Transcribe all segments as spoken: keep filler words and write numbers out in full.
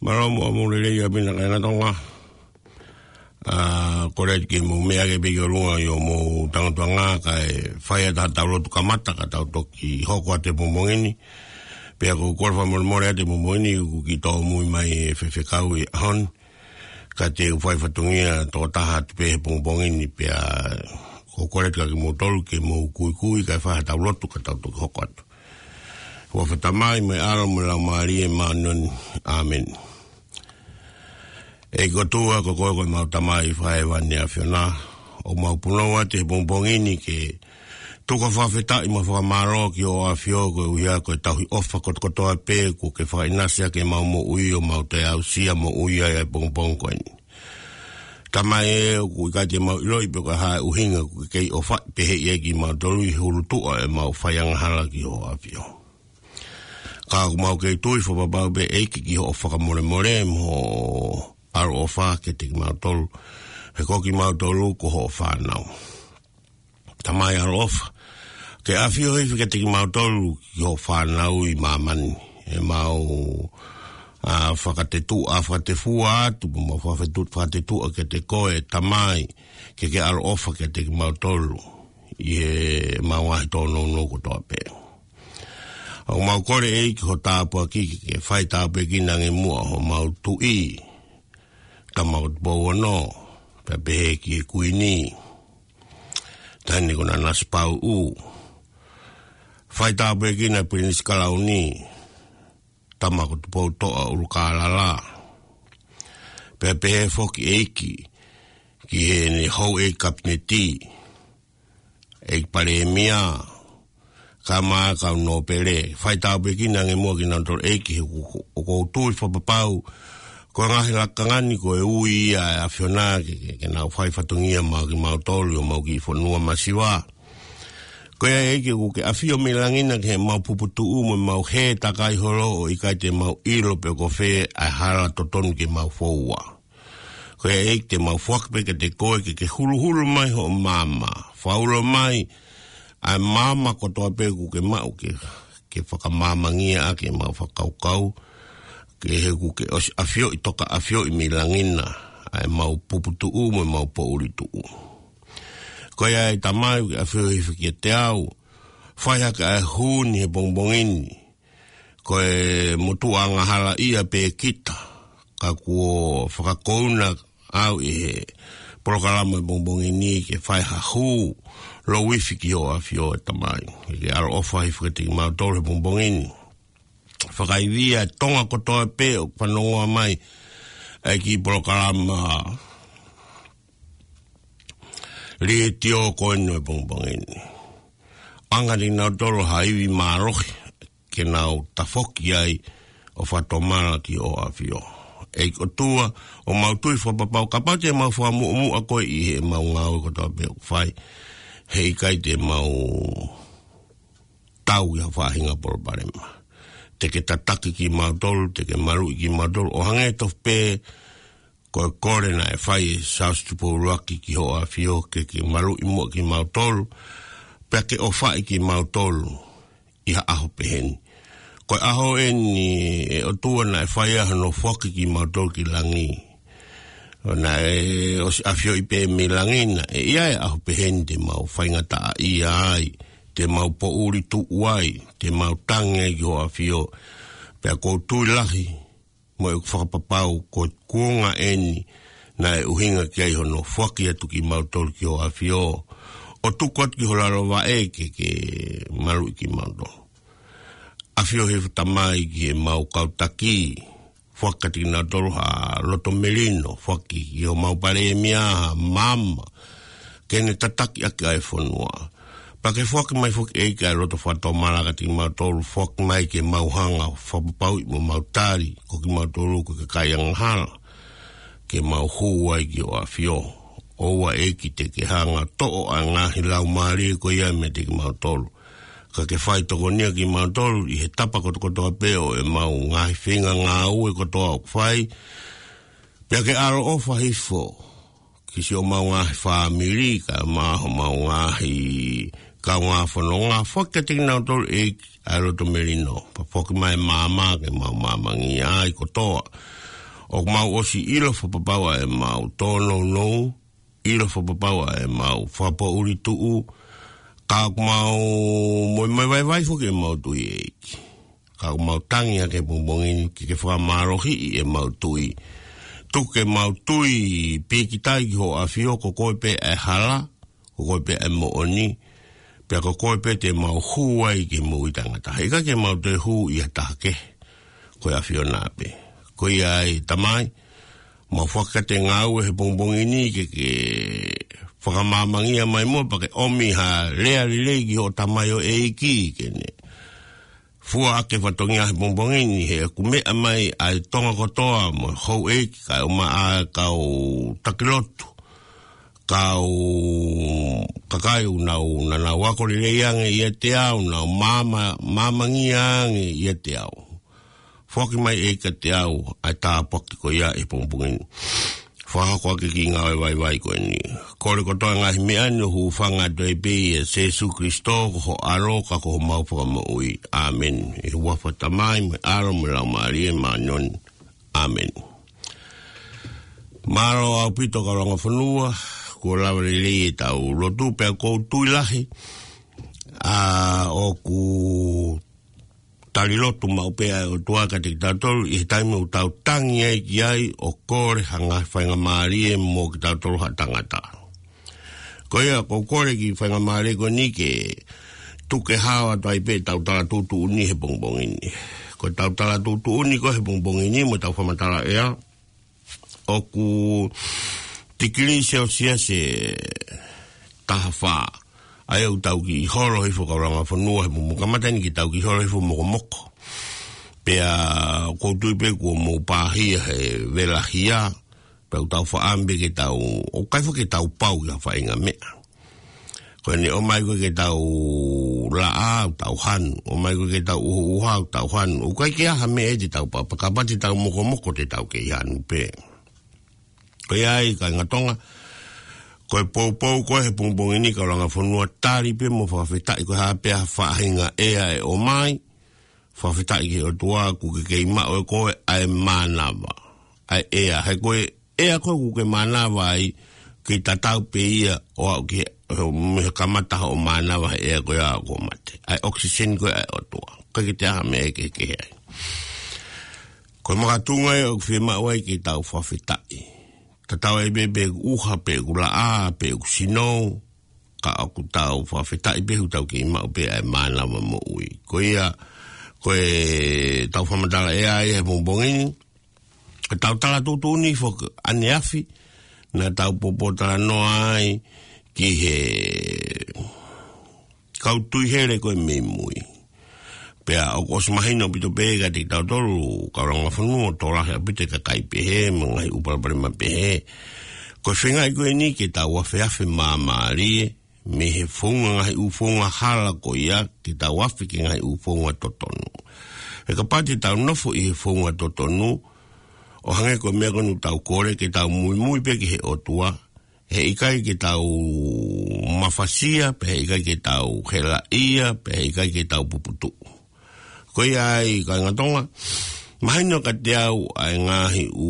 Mālō muʻa mo e lelei ʻa e pina kainga Tonga. ʻA, kole atu ke mou meʻa ke piki ʻolunga ʻi hoʻomou tangutuʻanga kae fai atu ha tau lotu kamata ka tau toki hoko atu he pongipongi ni. Pea ʻoku ou kole fakamolemole atu he pongipongi ni, ʻoku kiʻi tōmui mai e fefekau he ʻaho ni. Ka te u fai fatongia tokotaha atu pē he pongipongi ni pea ʻoku ou kole atu kia kimoutolu ke mou kuikui kae fai ha tau lotu ka tau toki hoko atu. Huafa ʻo e Tamai mo e ʻAlo mo e Laumālie Māʻoniʻoni. ʻĀmeni. ʻEiki ʻOtua, ko koe ko ʻemau Tamai fakahēvani ʻa e ʻAfiona. ʻOku mau punou atu he pongipongi ni ke tuku ha fakafetaʻi mo e fakamālō ki hoʻo ʻAfio koeʻuhi ko e tauhi ʻofa kotokotoa pē kuo ke fakaʻinasi ʻaki ʻemau moʻui ʻo mau toe aʻusia moʻui ʻa e pongipongi ko eni. Tamai ē, ʻoku ʻikai te mau ʻiloʻi pe ko e hā e ʻuhinga ʻoku ke kei ʻofaʻi pehē ai kimautolu ʻi he ʻulutuʻa ʻemau fai angahala ki hoʻo ʻAfio. Ka ʻoku mau kei tui fakapapau pē ʻEiki ki hoʻo fakamolemole mo hoʻo ʻaloʻofa kiate kimautolu, he ko kimautolu ko hoʻo fānau. Tamai ʻaloʻofa, ke ʻafio hifo kiate kimautolu ki hoʻo fānau ʻi māmani. ʻEmau, ʻa, fakatetuʻa, fakatefua atu, mo mau fakafetu-, fakatetuʻa kiate koe, Tamai, ke ke ʻaloʻofa kiate kimautolu ʻi heʻemau ngaahi tōnounou kotoa pē. ʻOku mau kole ʻEiki ho tāpuaki ke ke fai tāpuekina ange muʻa homau tuʻi, Tama ko Tupou Ono, pea pehē ki he Kuini, Taʻahine ko Nanasipauʻu. Fai tāpuekina Pilinisi Kalauni, Tama ko Tupoutoʻa ʻUlukālala. Pea pehē foki ʻEiki ki heʻene houʻeiki Kapineti, ʻEiki Palēmia, kae ʻumaʻā e kau nōpele. Fai tāpuekina ange muʻa kinautolu ʻEiki he ʻoku, ʻoku ou tui fakapapau ko e ngaahi lakanga ni ko e ui ia ʻa e ʻAfiona ke, ke, ke nau fai fatongia maʻa kimautolu ʻi homau kiʻi fonua masiva. Ko ia ʻEiki ʻoku ke ʻafio mei langi na ki heʻemau puputuʻu mo ʻemau hē takai holo ʻo ʻikai te mau ʻilo pe ko fē ʻa e hala totonu ke mau foua. Ko ia ʻEiki te mau foaki pē kiate koe ke ke huluhulu mai hoʻo maama. Fakaʻulo mai ʻa e maama kotoa pē ʻoku ke maʻu ke, ke fakamaamangia ʻaki ʻemau fakakaukau, ke he ʻoku ke ʻosi ʻafioʻi, toka ʻafioʻi mei langi na ʻa ʻemau puputuʻu mo ʻemau poʻuli tuʻu. Ko ia ʻe Tamai ʻoku ke ʻafio hifo kiate au, fai hake ʻa e hū ni he pongipongi ni, ko e motuʻa angahala ia pē kita, ka kuo fakakouna au ʻi he polokalama he pongipongi ni ke fai ha hū louifi ki hoʻo ʻAfio ʻe Tamai. Ke ke ʻaloʻofa hifo kiate kimautolu he pongipongi ni. Fakaivia e Tonga kotoa pē ʻoku fanongoa mai ʻa e kiʻi polokalama letiō ko eni he pongipongi ni. ʻAnge kiate kinautolu ha ivi mālohi ke nau tafoki ai ʻo fakatomala ki hoʻo ʻAfio. ʻEiki ʻOtua, ʻoku mau tui fakapapau kapau te mau fakamuʻomuʻa koe ʻi heʻemau ngāue kotoa pē ʻoku fai, he ʻikai te mau tau ʻi ha faʻahinga palopalema. Te ke tataki kimautolu, te ke maluʻi kimautolu, ʻo hangē tofu pē ko e kole naʻe fai ʻe Siaosi Tupou ʻUluaki ki hoʻo ʻAfio ke ke maluʻi muʻa kimautolu, pea ke ʻofaʻi kimautolu ʻi ha ʻaho pehē ni. Ko e ʻaho eni ʻe ʻOtua naʻe fai ai hono foaki kimautolu ki langi. ʻO naʻe ʻosi ʻafioʻi pē mei langi na, ʻe ʻi ai e ʻaho pehē ni te mau faingataʻaʻia ai, te mau poʻuli tuʻu ai, te mau tangi ai ki hoʻo ʻAfio. Pea ʻoku ou tui lahi mo ʻeku fakapapau ko e kuonga eni naʻe ʻuhinga ki ai hono foaki atu kimautolu ki hoʻo ʻAfio, ʻo tuku atu ki ho lalo vaʻe ke ke maluʻi kimautolu. ʻAfio hifo Tamai ki heʻemau kau taki, foaki kiate kinautolu ha loto melino, foaki ki homau Palēmia ha maama ke ne tataki ʻaki ʻa e fonua. Pea ke foaki mai foki ʻEiki ʻa e loto fakatomala kiate kimautolu, foaki mai ke mau hanga ʻo fakapapauʻi mo mau tali ko kimautolu ko e kakai angahala, ke mau hū ai ki hoʻo ʻAfio. ʻOua ʻEiki te ke hanga ʻo toʻo ʻa e ngaahi laumālie ko ia meiate kimautolu, ka ke fai tokonia kimautolu ʻi he tapa kotokotoa pē ʻo ʻemau ngaahi feinga ngāue kotoa ʻoku fai. Pea ke ʻaloʻofa hifo ki siʻomau ngaahi fāmili, kae ʻumaʻā homau ngaahi kaungā fononga, foaki kiate kinautolu ʻEiki ʻa e loto melino, pea foaki mai e maama ke mau maamangia ai kotoa. ʻOku mau ʻosi ʻilo fakapapau ʻa ʻemau tōnounou, ʻilo fakapapau ʻa ʻemau fakapoʻuli tuʻu, ka ʻoku mau moemoevaivai foki ʻemau tui ʻEiki. Ka ʻoku mau tangi ʻa e pongipongi ni ke ke fakamālohiʻi ʻemau tui. Tuku ke mau tui pīkitai ki hoʻo ʻAfio, ko koe pē ʻa e hala, ko koe pē ʻa e moʻoni, pea ko koe pē te mau hū ai ki he moʻui taʻengata. He ʻikai ke mau toe hū ʻi ha taha kehe, ko e ʻAfiona pē. Ko ia ai, Tamai, mau fakakata e ngāue he pongipongi ni ke ke fakamāmangia mai muʻa pea ke ʻomi ha lea lelei ki hoʻo tamaioʻeiki ke ne fua ʻaki e fatongia he pongipongi ni he ʻoku meʻa mai ʻa e Tonga kotoa mo e houʻeiki kae ʻumaʻā e kau taki lotu, kau kakai ʻoku nau, naʻa nau ako lelei ange ʻiate au, nau māma-, māmangia ange ʻiate au. Foaki mai ʻEiki kiate au ʻa e tāpuaki ko ia he pongipongi ni. Fakahoko ʻaki e kiʻi ngāue vaivai ko eni. Kole kotoa e ngaahi meʻa ni ʻo hūfanga atu ai pē ʻia Sēsū Kilisitō ko ho ʻAlo ka ko homau Fakamoʻui. ʻĀmeni. ʻI he huafa ʻo e Tamai mo e ʻAlo mo e Laumālie Māʻoniʻoni. ʻĀmeni. Mālō ʻaupito kau langa fonua, kuo lava lelei ʻetau lotu pea ʻoku ou tui lahi ʻa ʻoku tali lotu maʻu pē ʻa e ʻOtua kiate kitautolu ʻi he taimi ʻoku tau tangi ai ki ai ʻo kole ha ngaahi faingamālie mo kitautolu ha tangata. Ko ia, ʻoku ou kole e kiʻi faingamālie ko eni ke tuku ke hao atu ai pē ʻetau tala tuʻutuʻuni he pongipongi ni. Ko ʻetau tala tuʻutuʻuni ko ē he pongipongi ni mo ʻetau fakamatala ʻea, ʻoku tikilī Selsiasi ʻe taha fā. ʻA ia ʻoku tau kiʻi holo hifo kau langa fonua he mo kamata eni ke tau kiʻi holo hifo mokomoko. Pea ʻoku ou tui pē kuo mou pāhia he vela hia, pea ʻoku tau faʻa ʻamu pē ke tau, ʻoku ʻikai foki ke tau pau ki ha faʻahinga meʻa. Ko ʻene ʻomai ko ē ke tau laʻā, ʻoku tau hanu. ʻOmai ko ē ke tau ʻuha, ʻoku tau hanu. ʻOku ʻikai ke ʻi ai ha meʻa te tau papa, kapau te tau mokomoko te tau kei hanu pē. Ko ia ai, kāinga Tonga, ko e poupou ko ē he pongipongi ni kau langa fonua, tali pē mo fakafetaʻi ko e hā pē ha faʻahinga ʻea ʻe ʻomai, fakafetaʻi ki he ʻOtua kuo ke kei maʻu ʻe koe ʻa e mānava. ʻA e ʻea, he ko e ʻea ko ē kuo ke mānava ai, kei tatau pē ia ʻo aʻu ki he, mei he kamata hoʻo mānava he ʻea ko ia ʻo mate. ʻA e ʻokisiseni ko ē ʻa e ʻOtua. ʻIkai ke toe ʻi ai ha meʻa ʻe kehekehe ai. Ko e makatuʻunga ia ʻoku fiemaʻu ai ke tau fakafetaʻi. Tatau ai pē pe ʻoku ʻuha, pe ʻoku laʻā, pe ʻoku sino, ka ʻoku tau fakafetaʻi pē he ʻoku tau kei maʻu pē ʻa e mānava moʻui. Ko ia, ko ʻetau fakamatala ʻea ia he pongipongi ni, ko ʻetau tala tuʻutuʻuni foki ʻaneafi, naʻa tau pōpōtalanoa ai ki he kau tui hele ko ē mei mui. Pea ʻoku ʻosi mahino ʻaupito pē kiate kitautolu kau langa fonua ʻoku tokolahi ʻaupito e kakai pehē, mo e ngaahi ʻū palopalema pehē. Ko e feingaʻi ko eni ke tau afeafe māmālie, mei he founga, ngaahi ʻū founga hala ko ia, ke tau afe ki he ngaahi ʻū founga totonu. He kapau te tau nofo ʻi he founga totonu, ʻo hangē ko e meʻa ko eni ʻoku tau kole ke tau muimui pē ki he ʻOtua, he ʻikai ke tau mafasia, pea he ʻikai ke tau helaʻia, pea he ʻikai ke tau puputuʻu. Ko ia ai, kāinga Tonga, mahino kiate au ʻa e ngaahi ʻū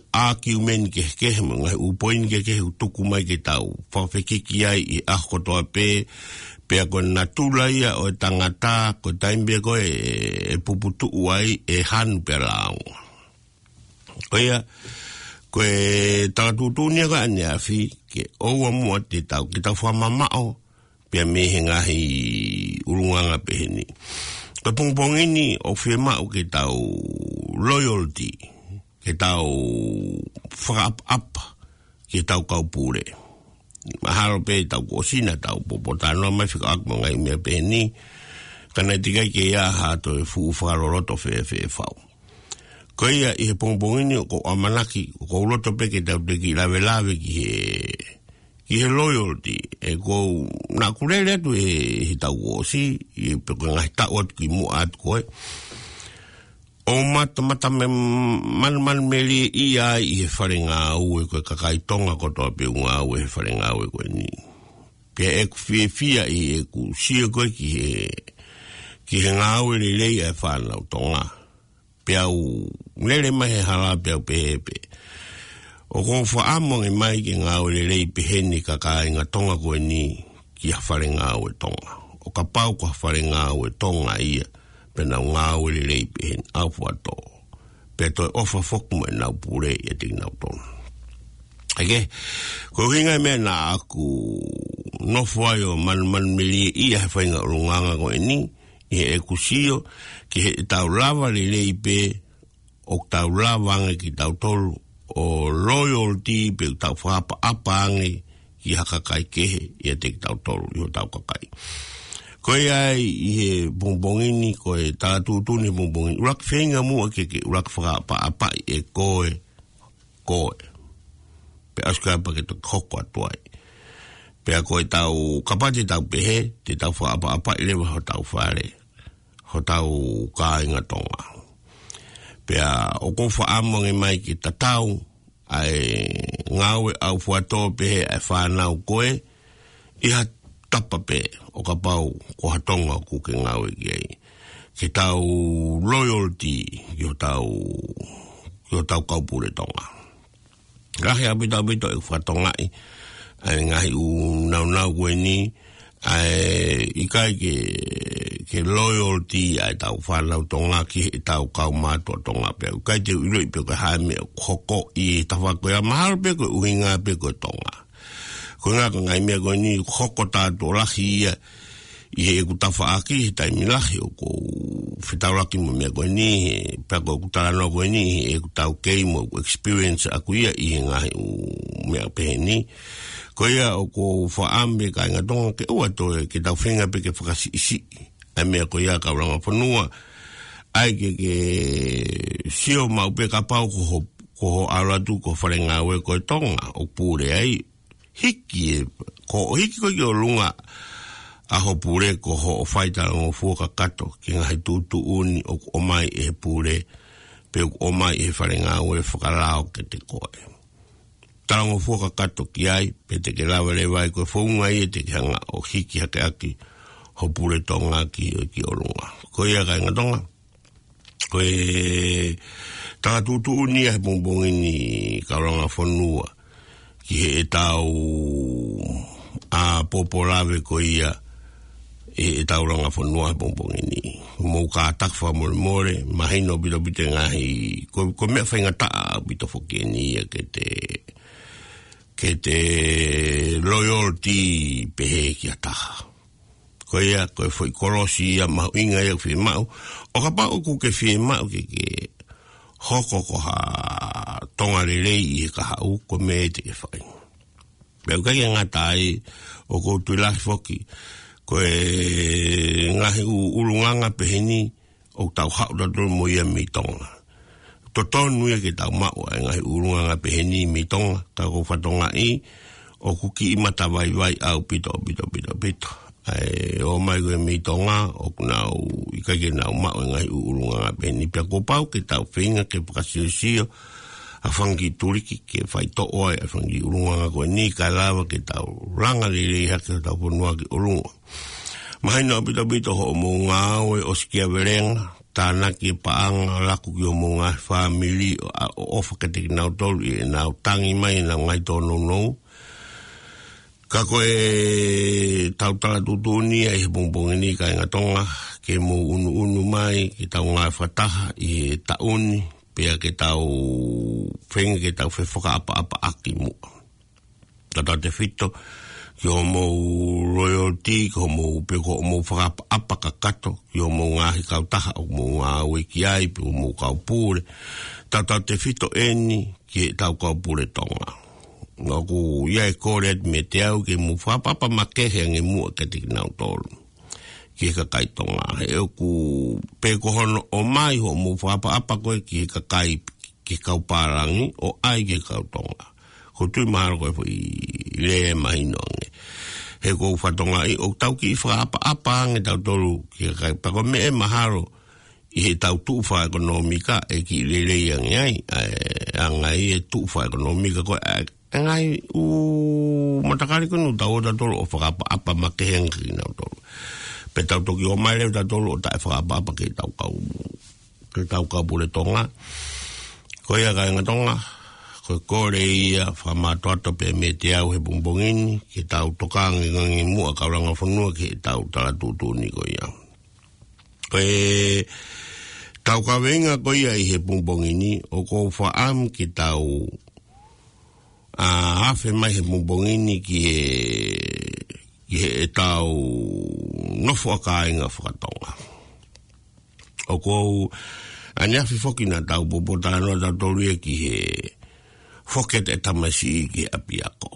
ʻākiumeni kehekehe, mo e ngaahi ʻū poini kehekehe ʻoku tuku mai ke tau fakafekiki ai ʻi he ʻaho kotoa pē, pea ko e natula ia ʻo e tangata, ko e taimi pē ko ē ʻe, ʻe puputuʻu ai, ʻe hanu pea lāunga. Ko ia, ko e tala tuʻutuʻuni ia ko ē ʻaneafi, ke ʻoua muʻa te tau, ke tau fakamamaʻo, pea mei he ngaahi ʻulungaanga pehē ni. Ko e pongipongi ni ʻoku fiemaʻu ke tau loyalty, ke tau fakaʻapaʻapa ki heʻetau kau pule. Mahalo pē taʻu kuo ʻosi naʻa tau pōpōtalanoa mai fekauʻaki mo e ngaahi meʻa pehē ni, ka naʻe teʻeki ai ke ʻi ai ha toe fuʻu fakaloloto fēfē fau. Ko ia ʻi he pongipongi ni ʻoku ou ʻamanaki, ʻoku ou loto pē ke tau toe kiʻi lavelave ki he, ki he loyalty, ʻe ʻoku ou, naʻa ku lele atu he, he taʻu kuo ʻosi, ʻi he pe ko e ngaahi taʻu atu kimuʻa atu ko ē. ʻO matamata me, man, man meli ia ʻi he fale ngāue ko e kakai Tonga kotoa pē ʻoku ngāue he fale ngāue ko eni. Pea ʻeku fiefia ʻi heʻeku sio ko ē ki he, ki he ngāue lelei ʻa e fānau Tonga. Peá u lele mai he hala peá u pehē pē, ʻoku ou fakaʻamu ange mai ke ngāue lelei pehē ni ka kāinga Tonga ko eni ki ha fale ngāue Tonga. ʻO kapau ko ha fale ngāue Tonga ia, pea nau ngāue lelei pehē ni, ʻaufuatō. Pea toe ʻofa foki mo ʻenau pule ʻiate kinautolu. ʻEke, ko e ʻuhinga ia e meʻa naʻá ku nofo ai ʻo manumanu melie ʻi he faʻahinga ʻulungaanga ko eni, ʻi heʻeku sio, ki heʻetau lava lelei pē, ʻoku tau lava ange kitautolu ʻo loyalty pē ʻoku tau fakaʻapaʻapa ange ki ha kakai kehe ʻiate kitautolu ʻi hotau kakai. Ko ia ai ʻi he pongipongi ni, ko e tala tuʻutuʻuni he pongipongi ni, ʻuluaki feinga muʻa ke ke ʻuluaki fakaʻapaʻapaʻi ʻe koe, koe. Pea ʻosi ko ia pea ke toki hoko atu ai. Pea ko ʻetau, kapau te tau pehē, te tau fakaʻapaʻapaʻi leva hotau fale, hotau kāinga Tonga. Pea ʻoku ou fakaʻamu ange mai ke tatau ʻa e ngāue ʻaufuatō pehē ʻa e fānau ko ē ʻi ha tapa pē ʻo kapau ko ha Tonga ʻoku ke ngāue ki ai. Ke tau loyalty ki hotau, ki hotau kaupule Tonga. Lahi ʻaupito ʻaupito ʻeku fakatokangaʻi ʻa e ngaahi ʻū naunau ko eni, ʻa e ʻikai ke, ke loyalty ʻa ʻetau fānau Tonga ki heʻetau kaumātuʻa Tonga pea ʻikai te u ʻiloʻi pe ko e hā e meʻa ʻoku hoko ʻi he tafaʻaki ko ia, mahalo pē ko e ʻuhinga pē ko e Tonga. Ko e ʻuhinga ko e ngaahi meʻa ko eni hoko tātuʻo lahi ia ʻi heʻeku tafaʻaki he taimi lahi ʻoku ou fetaulaki mo e meʻa ko eni, he pea ko ʻeku talanoa ko eni, he ʻoku taukei mo ʻeku experience ʻaʻaku ia ʻi he ngaahi ʻū meʻa pehē ni. Ko ia ʻoku ou fakaʻamu pē kāinga Tonga ke ʻoua toe ke tau feinga pē ke fakasiʻisiʻi ʻa e meʻa ko ia kau langa fonua. ʻAi ke, ke sio maʻu pē kapau ko ho, ko hoʻo ʻalu atu ki ho fale ngāue ko e Tonga ʻoku pule ai, hiki e, ko hoʻo hiki ko ē ki ʻolunga ʻa ho pule ko hoʻo fai talangofua kakato ki he ngaahi tuʻutuʻuni ʻoku ʻomai ʻe he pule, pe ʻoku ʻomai ʻe he fale ngāue fakalao kiate koe. Talangofua kakato ki ai, pea te ke lava leva ai ko e founga ia te ke hanga ʻo hiki hake ʻaki ho pule Tonga ki, ki ʻolunga. Ko ia kāinga Tonga. Ko e tala tuʻutuʻuni ia he pongipongi ni kau langa fonua ki heʻetau ʻa pōpō lave ko ia ʻi heʻetau langa fonua he pongipongi ni. Mou kātaki fakamolemole, mahino ʻaupito ʻaupito e ngaahi, ko, ko e meʻa faingataʻa ʻaupito foki eni ia ke te, ke te loyalty pehē ki ha taha. Ko ia, ko e foʻi kolosi ia mahuʻinga ia ʻoku fiemaʻu. ʻO kapau ʻoku ke fiemaʻu ke, ke hoko ko ha Tonga lelei ʻi he kahaʻu, ko e meʻa ia te ke fai. Pea ʻoku ʻikai ke ngata ai, ʻoku ou tui lahi foki ko e ngaahi ʻū ʻulungaanga pehē ni, ʻoku tau haʻu tautolu mo ia mei Tonga. Totonu ia ke tau maʻu ʻa e ngaahi ʻulungaanga pehē ni mei Tonga, ka ʻoku ou fakatokangaʻi ʻoku kiʻi matavaivai ʻaupito, ʻaupito, ʻaupito, ʻaupito. ʻA e ō mai ko ē mei Tonga, ʻoku nau ʻikai ke nau maʻu e ngaahi ʻū ʻulungaanga pehē ni, pea kuo pau ke tau feinga ke fakasiosio ʻa e fanga kiʻi tuliki ke faitoʻo ai ʻa e fanga kiʻi ʻulungaanga ko eni kae lava ke tau langa lelei hake hotau fonua ki ʻolunga. Mahino ʻaupito ʻaupito hoʻomou ngāue ʻosikiavelenga, tānaki e paʻanga, laku ki homou ngaahi fāmili, ʻo, ʻo ʻofa kiate kinautolu ʻi heʻenau tangi mai ʻenau ngaahi tōnounou. Ka ko ʻetau tala tuʻutuʻuni ia ʻi he pongipongi ni kāinga Tonga, ke mou ʻunuʻunu mai ke tau ngāue fakataha ʻi he taʻu ni, pea ke tau feinga ke tau fefakaʻapaʻapaʻaki muʻa. Tautautefito ki hoʻomou loyalty, ki hoʻomou, pe ko hoʻomou fakaʻapaʻapa kakato ki hoʻomou ngaahi kautaha ʻoku mou ngāue ki ai, pe ko homou kaupule. Tautautefito eni ki heʻetau kaupule Tonga. ʻOku ʻi ai e kole atu meiate au ke mou fakaʻapaʻapa makehe ange muʻa kiate kinautolu, ki he kakai Tonga. He ʻoku, pe ko hono ʻomai hoʻomou fakaʻapaʻapa ko ē ki he kakai, ki he kau pālangi, ʻo ʻai ki he kau Tonga. ʻOku ou tui mahalo ko e foʻi lea mahino ange. He ʻoku ou fakatokangaʻi ʻoku tau kiʻi fakaʻapaʻapa ange tautolu ki he kakai, pea ko e meʻa ʻe mahalo ʻi heʻetau tuʻu fakaʻekonōmika ʻe kiʻi lelei ange ai, ʻa e anga ia e tuʻu fakaʻekonōmika ko ē, ʻa e ngaahi ʻū matakali ko eni ʻoku tau ō tautolu ʻo fakaʻapaʻapa makehe ange kinautolu. Pea tau toki ō mai leva tautolu ʻo taʻefakaʻapaʻapa ki heʻetau kau ko e tau kau pule Tonga. Ko ia kāinga Tonga, ko e kole ia fakamātoato pē meiate au he pongipongi ni, ke tau tokanga ange muʻa kau langa fonua ki he tau tala tuʻutuʻuni ko ia. Ko e tau kaveinga ko ia ʻi he pongipongi ni, ʻoku ou fakaʻamu ke tau ʻa, afe mai he pongipongi ni ki he, ki he ʻetau nofo ʻa kāinga fakatonga. ʻOku ou, ʻaneafi foki naʻa tau poupou talanoa tautolu ia ki he foki ʻa e tamasiʻi ki he ʻapiako.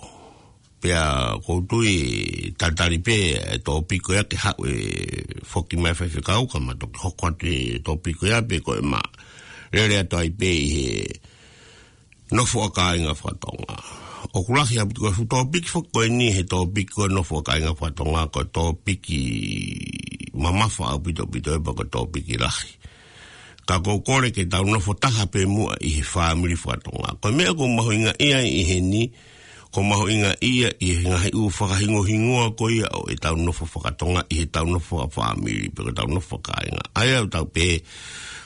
Pea ʻoku ou tui tatali pē e tōpiki ko ia ke haʻu e foki mai faifekau ka ma toki hoko atu e tōpiki ko ia pe ko e ma lele atu ai pē ʻi he nofo ʻa kāinga fakatonga. ʻOku lahi ʻaupito ko e fuʻu tōpiki foki ko eni he tōpiki ko e nofo ʻa kāinga fakatonga ko e tōpiki mamafa ʻaupito ʻaupito ʻe pea ko e tōpiki lahi. Ka ʻoku ou kole ke tau nofo taha pē muʻa ʻi he fāmili fakatonga. Ko e meʻa ʻoku mahuʻinga ia ʻi heni, ʻoku mahuʻinga ia ʻi he ngaahi ʻū fakahingohingoa ko ia ʻo ʻetau nofo fakatonga ʻi heʻetau nofo fakafāmili, pe ko ʻetau nofo fakakāinga. ʻA ia ʻoku tau pehē,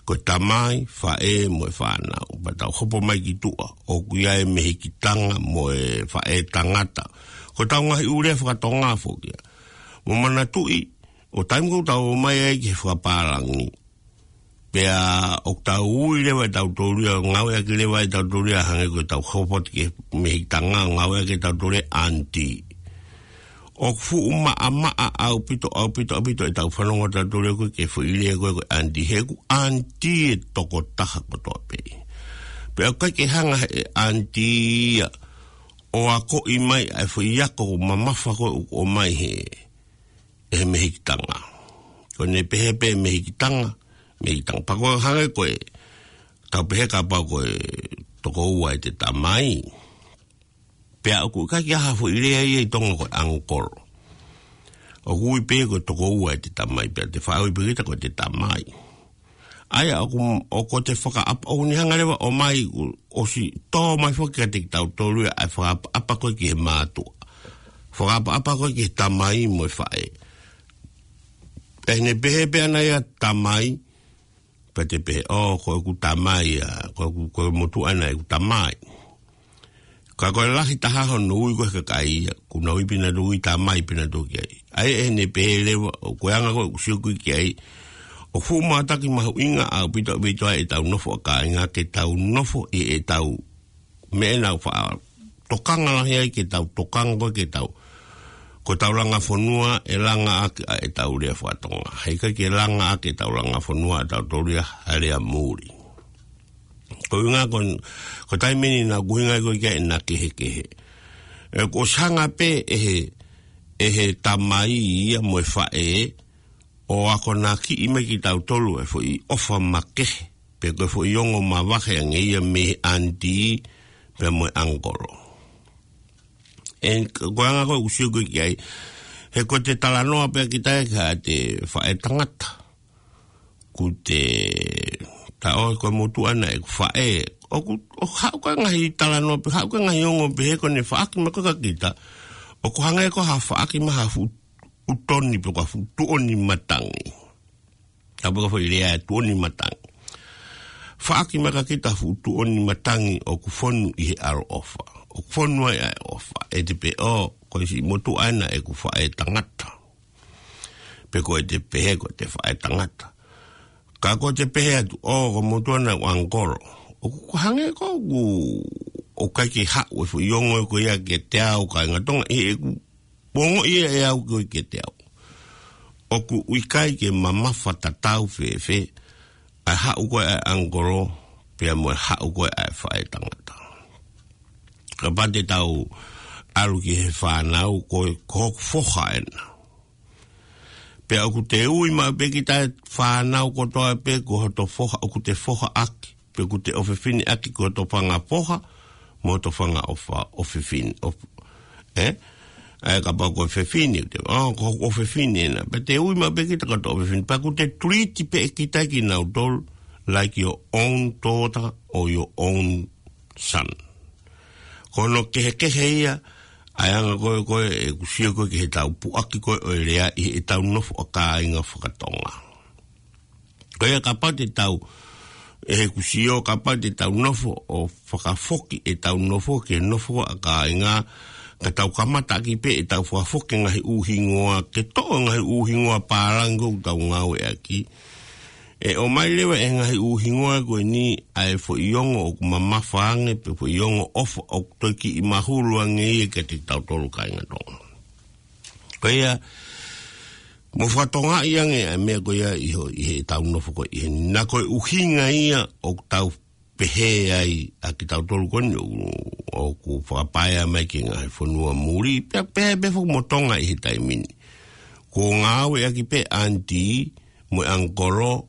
ko e tamai, faʻē, mo e fānau. Pea tau hopo mai ki tuʻa, ʻoku ʻi ai e mehikitanga, mo e faʻētangata. Ko ʻetau ngaahi ʻū lea fakatonga foki ia. Mou manatuʻi, ʻo taimi ʻoku tau ō mai ai ki he fakapālangi. Pea ʻoku tau ui leva ʻe tautolu ia, ngāueʻaki leva ʻe tautolu ia, hangē ko ʻetau hopo atu ki he mehikitanga, ngāueʻaki ʻe tautolu ia aunty. ʻOku fuʻu maʻamaʻa ʻaupito, ʻaupito, ʻaupito ʻetau fanongo tautolu ia ko e foʻi lea ko e, ko e aunty. He ʻoku aunty e tokotaha kotoa pē. Pea ʻoku ʻikai ke hanga he aunty ia ʻo akoʻi mai ʻa e foʻi ako mamafa ko ē ʻoku ʻomai he, he mehikitanga. Ko ʻene pehē pē mehikitanga, mehikitanga. Pea ko e hangē ko e, tau pehē kapau ko e toko ua ʻete tamai. Pea ʻoku ʻikai ke ʻi ai ha foʻi lea ia ʻi Tonga ko e uncle. ʻOku ui pē ko e toko ua ʻete tamai, pea te faʻa ui pē kita ko ʻete tamai. ʻA ia ʻoku, ʻoku te fakaʻapa, ʻoku ne hanga leva ʻo ʻomai, ʻosi tō mai foki kiate kitautolu ia ʻa e fakaʻapaʻapa ko ē ki he mātuʻa. Fakaʻapaʻapa ko ē ki he tamai mo e faʻē. ʻE ne pehē pē ʻana ia tamai, pea te pehē, ʻō, ko ʻeku tamai ia, ko ʻeku, ko e motuʻa ʻana ʻeku tamai. Ka ko e lahi taha hono ui ko ē he kakai ia, ʻoku nau ui pē nautolu ʻi tamai pē nautolu ki ai. ʻA ia ʻe ne pehē leva, ʻoku anga ko ē ʻeku sio ko ē ki ai, ʻoku fuʻu mātaki mahuʻinga ʻaupito ʻaupito ʻa ʻetau nofo ʻa kāinga ke tau nofo ʻi heʻetau meʻa ʻoku nau faʻa tokanga lahi ai ke tau tokanga ko ē ke tau. Ko ʻetau langa fonua ʻe langa ʻaki ʻa ʻetau lea fakatonga. Heʻikai ke langa ʻaki ʻetau langa fonua ʻa tautolu ia ha lea muli. Ko e ʻuhinga ko, ko e taimi ni naʻa ku ʻuhinga ko ē ki ai ʻena kehekehe. ʻE ʻoku ʻosi hanga pē ʻe he, ʻe he tamai ia mo e faʻē, ʻo akonakiʻi mai kitautolu e foʻi ʻofa makehe, pe ko e foʻi ongo mavahe ange ia mei he aunty, pea mo e uncle. ʻE ko e anga ko ē ʻeku sio ko ē ki ai, he ko ʻete talanoa pē kita ia ki haʻate faʻētangata. ʻOku te taʻo ko e motuʻa ʻana ʻeku faʻē. ʻOku, ʻoku haʻu ko ē ngaahi talanoa pē, haʻu ko ē ngaahi ongo pē he ko ʻene faʻaki mai ko ē kia kita. ʻOku hangē ko ha faʻaki mai ha fuʻu toni pe ko ha fuʻu tuʻoni matangi. Ka pē ko e foʻi lea tuʻoni matangi. Faʻaki mai kia kita ha fuʻu tuʻoni matangi ʻoku fonu ʻi he ʻaloʻofa. ʻOku fonu ai ʻa e ʻofa. ʻE te pehē ʻō, ko e siʻi motuʻa ʻana ʻeku faʻētangata. Pe ko ʻete pehē ko ʻete faʻētangata. Ka ko ʻete pehē atu, ʻō, ko e motuʻa ʻana ʻeku uncle. ʻOku hangē ko ʻeku, ʻoku ʻikai ke haʻu e foʻi ongo ko ia kiate au kāinga Tonga, ʻi heʻeku ongoʻi ia ʻe au ko ē kiate au. ʻOku ʻikai ke mamafa tatau fēfē, ʻa e haʻu ko ē ʻa e uncle, pea mo e haʻu ko ē ʻa e faʻētangata. Kapau te tau ʻalu ki he fānau ko, ko hoku foha ʻena. Pea ʻoku te ui maʻu pē kita e fānau kotoa pē ko hoto foha, ʻoku te foha ʻaki, pe ʻoku te ʻofefine ʻaki ko hoto fanga foha, mo hoto fanga ʻofa, ʻofefine, ʻo, ē? ʻA ia kapau ko e fefine, te, ʻō, ko hoku ʻofefine ʻena. Pea te ui maʻu pē kita ko hoto ʻofefine. Pea ʻoku te treat pē kita kinautolu, like your own daughter or your own son. Ko hono kehekehe ia, ʻa e anga ko ē, ko ē, ʻeku sio ko ē ki heʻetau puʻaki ko ē ʻo e lea ʻi heʻetau nofo ʻa kāinga fakatonga. Ko ia kapau te tau ʻe he kusio kapau te tau nofo ʻo fakafoki ʻetau nofo ke nofo ʻa kāinga, ka tau kamata ʻaki pē ʻetau fakafoki ngaahi ʻū hingoa, ke toʻo ngaahi ʻū hingoa pālangi ʻoku tau ngāueʻaki. ʻE ʻomai leva ʻe he ngaahi ʻū hingoa ko eni ʻa e foʻi ongo ʻoku mamafa ange, pe foʻi ongo ʻofa ʻoku toe kiʻi mahulu ange ia kiate kitautolu kāinga Tonga. Ko ia, mo fakatongaʻi ange ʻa e meʻa ko ia ʻi ho-, ʻi heʻetau nofo ko ē ʻi heni. Naʻa ko e ʻuhinga ia ʻoku tau pehē ai ʻa kitautolu ko eni ʻoku, ʻoku fakapaea mai ki he ngaahi fonua muli, pea pehē pē foki mo Tonga ʻi he taimi ni. Kuo ngāueʻaki pē aunty, mo e uncle,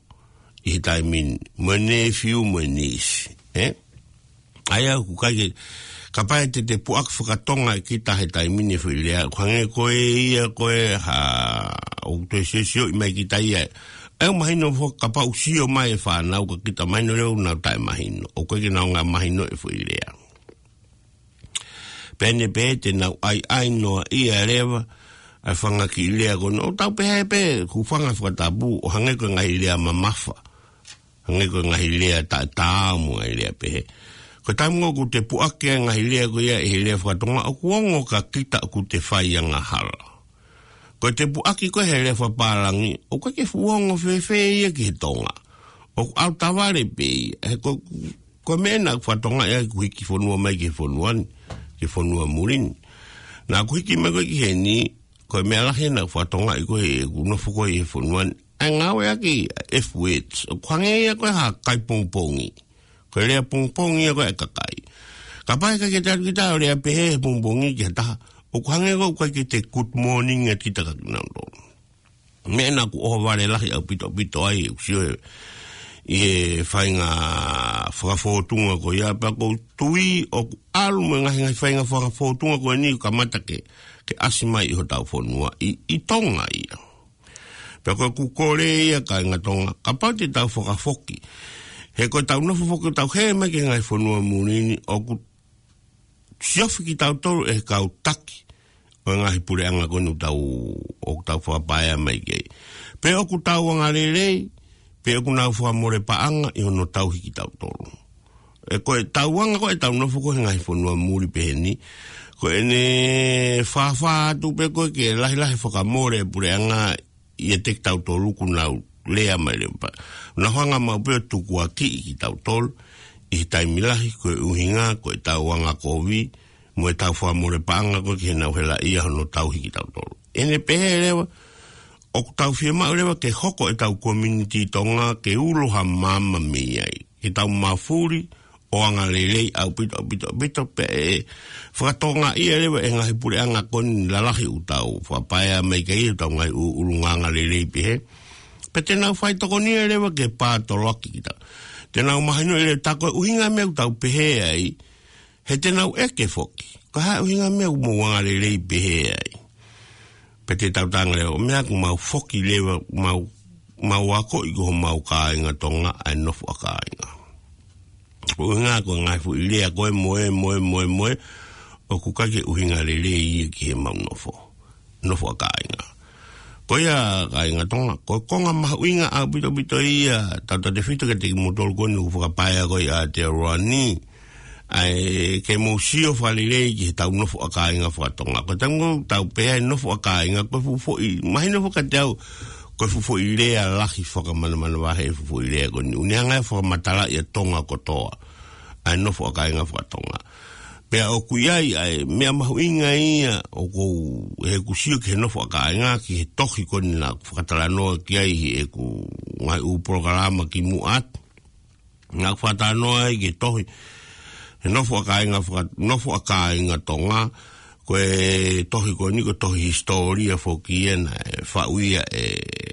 ʻi he taimi ni, mo e nephew, mo e niece, ē? ʻA ia ʻoku ʻikai ke, kapau te te puʻaki fakatonga ʻe kita he taimi ni e foʻi lea, ʻoku hangē ko e ia ko e ha, ʻoku toe siosioʻi mai kita ia. ʻE mahino foki kapau ʻoku sio mai e fānau ka kita mahino leva ʻoku nau taʻemahino. ʻOku ʻikai ke nau ngaahi mahino e foʻi lea. Pea ne pē te nau ʻaiʻai noa ia leva, ʻa e fanga kiʻi lea ko eni. ʻOku tau pehē pē, ʻoku fanga fakatapu, ʻo hangē ko e ngaahi lea mamafa. Hangē ko e ngaahi lea taʻetaau mo e ngaahi lea pehē. Ko e taimi ʻoku te puʻaki e ngaahi lea ko ia ʻi he lea fakatonga, ʻoku ongo kia kita ʻoku te fai angahala. Ko e te puʻaki ko ē he lea fakapālangi, ʻoku ʻikai ke fuʻu ongo fēfē ia ki he Tonga. ʻOku ʻalu tavale pē ia, he ko, ko e meʻa naʻa ku fakatongaʻi ʻa ʻeku hiki fonua mai ki he fonua ni, ki he fonua muli ni. Naʻa ku hiki mai ko ē ki heni, ko e meʻa lahi naʻa ku fakatongaʻi ko ē ʻeku nofo ko ē ʻi he fonua ni. ʻA e ngāueʻaki F words, ʻoku hangē ia ko e ha kai pongipongi. Ko e lea pongipongi ia ko ē ʻa e kakai. Kapau ʻe ʻikai ke tau kita ʻo lea pehē he pongipongi ki ha taha, ʻoku hangē ko ē ʻoku ʻikai ke te good morning ʻa kita kia kinautolu. Meʻa naʻa ku ʻohovale lahi ʻaupito ʻaupito ai, ʻoku sio ʻi he faʻahinga fakafōtunga ko ia, pea ʻoku ou tui ʻoku ʻalu mo e ngaahi, ngaahi faʻahinga fakafōtunga ko eni ʻoku kamata ke, ke ʻasi mai ʻi hotau fonua, ʻi, ʻi Tonga ia. Pea ko ʻeku kole ia kāinga Tonga, kapau te tau fakafoki. He ko ʻetau nofo foki ʻoku tau hē mai ki he ngaahi fonua muli ni, ʻoku siofi kitautolu ʻe he kau taki ʻo e ngaahi puleʻanga ko eni ʻoku tau, ʻoku tau fakapaea mai ki ai. Pe ʻoku tau angalelei, pe ʻoku nau fakamole paʻanga ʻi hono tauhi kitautolu. ʻE ko e tauʻanga ko ē ʻetau nofo ko ē he ngaahi fonua muli pehē ni, ko ʻene fāfā atu pē ko ē ke lahilahi fakamole e puleʻanga ʻiate kitautolu ʻoku nau lea mai leva. Nau hanga maʻu pē ʻo tukuakiʻi kitautolu ʻi he taimi lahi, ko e ʻuhinga ko e tauʻanga kovi mo ʻetau fakamole paʻanga ko ē ki heʻenau helaʻia hono tauhi kitautolu. ʻEne pehē leva, ʻoku tau fiemaʻu leva ke hoko ʻetau community Tonga ke ulo ha maama mei ai. Ke tau mafuli ʻo angalelei ʻaupito, ʻaupito, ʻaupito, pea ʻe fakatongaʻia leva ʻe he ngaahi puleʻanga ko eni lalahi ʻoku tau fakapaea mai ki ai ʻetau ngaahi ʻū ʻulungaanga lelei pehē. Pea te nau faitokonia leva ke pātoloaki kita. Te nau mahinoʻi leva tā ko e ʻuhinga e meʻa ʻoku tau pehē ai, he te nau ʻeke foki. Ko e hā e ʻuhinga e meʻa ʻoku mou angalelei pehē ai. Pea te tau talaange leva, meʻa ʻoku mau foki leva, mau, mau akoʻi ki homau kāinga Tonga ʻa e nofo ʻa kāinga. ʻUhinga ko e ngaahi foʻi lea ko ē mo e, mo e, mo e, mo e, ʻoku ʻikai ke ʻuhinga lelei ia ki heʻemau nofo. Nofo ʻa kāinga. Ko ia kāinga Tonga, ko e konga mahuʻinga ʻaupito ʻaupito ia, tautautefito kiate kimoutolu ko eni ʻoku fakapaea ko ē ʻi Aotearoa ni, ʻa e ke mou sio fakalelei ki heʻetau nofo ʻa kāinga fakatonga. Ko e taimi ʻoku tau pehē ai nofo ʻa kāinga, ko e fuʻu foʻi, mahino foki kiate au, ko e fuʻu foʻi lea lahi fakamanamanavahē e fuʻu foʻi lea ko eni. ʻOku ne hanga ʻo fakamatalaʻi ʻa Tonga kotoa, ʻa e nofo ʻa kāinga fakatonga. Pea ʻoku ʻi ai ʻa e meʻa mahuʻinga ia ʻoku ou, he ʻoku ou sio ki he nofo ʻa kāinga, ki he tohi ko eni naʻa ku fakatalanoa ki ai ʻi heʻeku ngaahi ʻū polokalama kimuʻa atu. Naʻa ku fakatalanoa ai ki he tohi, he nofo ʻa kāinga faka-, nofo ʻa kāinga Tonga, ko e tohi ko eni ko e tohi hisitōlia foki ia naʻe faʻu ia ʻe,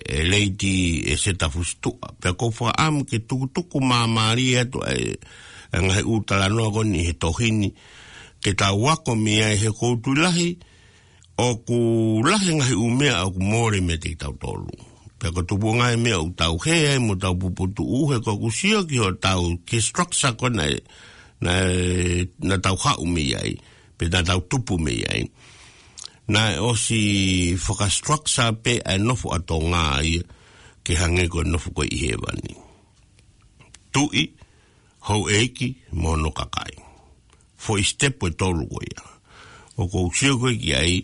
ʻe Lady ʻEseta Fusituʻa. Pea ʻoku ou fakaʻamu ke tukutuku māmālie atu ʻa e, ʻa e ngaahi ʻū talanoa ko eni he tohi ni, ke tau ako mei ai he ʻoku ou tui lahi, ʻoku lahi e ngaahi ʻū meʻa ʻoku mole meiate kitautolu. Pea ko e tupuʻanga e meʻa ʻoku tau hē ai mo tau puputuʻu he ʻoku ou sio ki hotau, ki he structure ko ē naʻe, naʻe, naʻa tau haʻu mei ai, pe naʻa tau tupu mei ai. Naʻe ʻosi fakastructure pē ʻa e nofo ʻa Tonga ia ke hangē ko e nofo ko ē ʻi hēvani. tuʻi, houʻeiki, mo hono kakai. Foʻi sitepu ʻe tolu ko ia. ʻOku ou sio ko ē ki ai,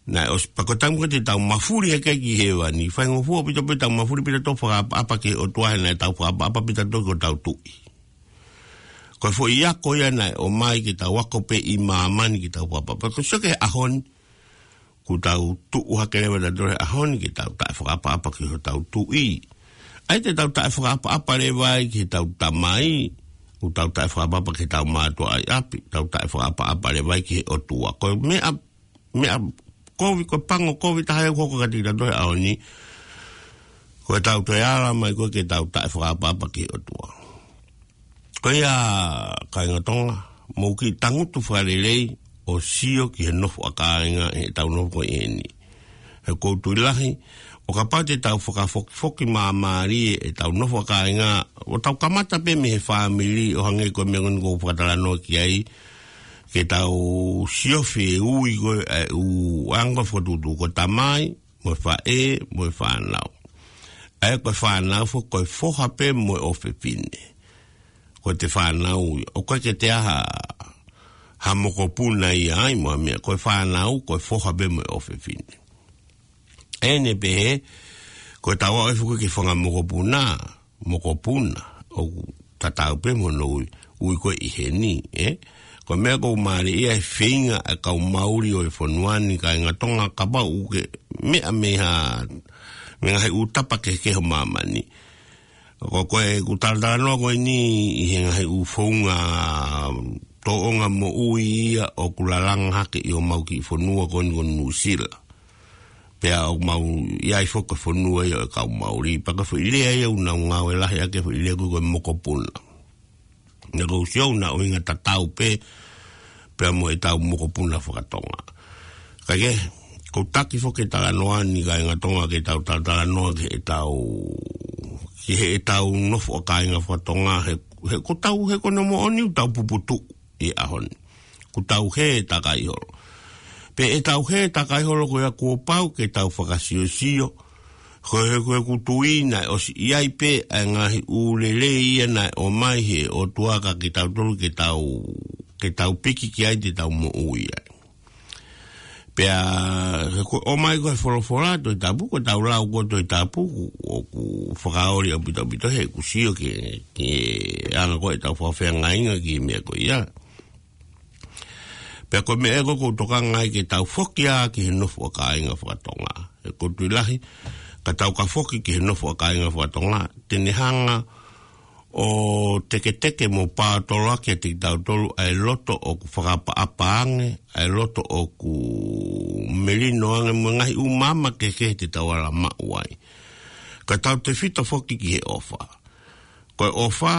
naʻe ʻosi pea ko e taimi ko ē te tau mafuli hake ki hēvani, faingofua pē tautolu pē tau mafuli pē tautolu fakaʻapaʻapa ki he ʻOtua he naʻe tau fakaʻapaʻapa pē tautolu ki hotau tuʻi. Ko e foʻi ako ia naʻe ʻomai ke tau ako pē ʻi māmani ke tau fakaʻapaʻapa. Ko e sio ki he ʻaho ni, kuo tau tuʻu hake leva tautolu he ʻaho ni ke tau taʻefakaʻapaʻapa ki hotau tuʻi. ʻAi te tau taʻefakaʻapaʻapa leva ai ki heʻetau tamai, ʻoku tau taʻefakaʻapaʻapa ki heʻetau mātuʻa ʻi ʻapi, tau taʻefakaʻapaʻapa leva ai ki he ʻOtua. Ko e meʻa, meʻa kovi, ko e pango kovi taha ia ʻoku hoko kiate kitautolu he ʻaho ni, ko ʻetau toe ala mai ko ē ke tau taʻefakaʻapaʻapa ki he ʻOtua. Ko ia, kāinga Tonga, mou kiʻi tangutu fakalelei ʻo sio ki he nofo ʻa kāinga ʻi heʻetau nofo ko eni. He ʻoku ou tui lahi, ʻo kapau te tau fakafokifoki māmālie ʻetau nofo ʻa kāinga, ʻo tau kamata pē mei he fāmili ʻo hangē ko e meʻa ko eni ʻoku ou fakatalanoa ki ai, ke tau siofi e ui ko ē, ʻa e ʻū anga fakatuʻutuʻu ko e tamai, mo e faʻē, mo e fānau. ʻA ia ko e fānau foki ko e foha pē mo e ʻofefine. Ko ʻete fānau ia, ʻoku ʻikai ke toe ʻi ai ha, ha mokopuna ia ai mo ha meʻa, ko e fānau, ko e foha pē mo e ʻofefine. ʻEne pehē, ko ʻetau aʻu foki ki he fanga mokopuna, mokopuna, ʻoku tatau pē mo hono ui, ui ko ē ʻi heni, ē? Ko e meʻa ʻoku mālie ia he feinga ʻa e kau Mauli ʻo e fonua ni kāinga Tonga kapau ʻoku ke meʻa mei ha, mei he ngaahi ʻū tapa kehekehe ʻo māmani. Ko, ko ʻeku talatalanoa ko eni ʻi he ngaahi ʻū founga tōʻonga moʻui ia ʻoku lalanga hake ʻi homau kiʻi fonua ko eni ko Nuʻusila. Pea ʻoku mau ʻi ai foki ko e fonua ia ʻo e kau Mauli. Pea ko e foʻi lea ia ʻoku nau ngāue lahi ʻaki e foʻi lea ko ē ko e mokopuna. Naʻa ʻoku ou sio ʻoku na ʻuhinga tatau pē, pea mo ʻetau mokopuna fakatonga. Kae kehe, ʻoku ou taki foki e talanoa ni kāinga Tonga ke tau talatalanoa ki heʻetau, ki heʻetau nofo ʻa kāinga fakatonga he, he ʻoku tau, he ko hono moʻoni ʻoku tau puputuʻu ʻi he ʻaho ni. ʻOku tau hē takai holo. Pea ʻetau hē takai holo ko ia kuo pau ke tau fakasiosio. Ko e, ko ʻeku tui naʻe ʻosi ʻi ai pē ʻa e ngaahi ʻū lelei ia naʻe ʻomai he ʻOtua kiate kitautolu ke tau, ke tau piki ki ai te tau moʻui ai. Pea, he ko e ʻomai ko e folofola Tohi Tapu, ko ʻetau lau ko ē Tohi Tapu, ʻoku, ʻoku fakaoli ʻaupito ʻaupito he ʻoku sio ki he, ki he anga ko ē ʻetau fakafeangainga ki he meʻa ko ia. Pea ko e meʻa ē ʻoku ou tokanga ai ke tau foki ā ki he nofo ʻa kāinga fakatonga. He ʻoku ou tui lahi, ka tau ka foki ki he nofo ʻa kāinga fakatonga, te ne hanga ʻo teketeke mo paotoloaki ʻiate kitautolu ʻa e loto ʻoku fakaʻapaʻapa ange, ʻa e loto ʻoku melino ange mo e ngaahi ʻū maama kehekehe te tau ala maʻu ai. Ka tau tefito foki ki he ʻofa. Ko e ʻofa,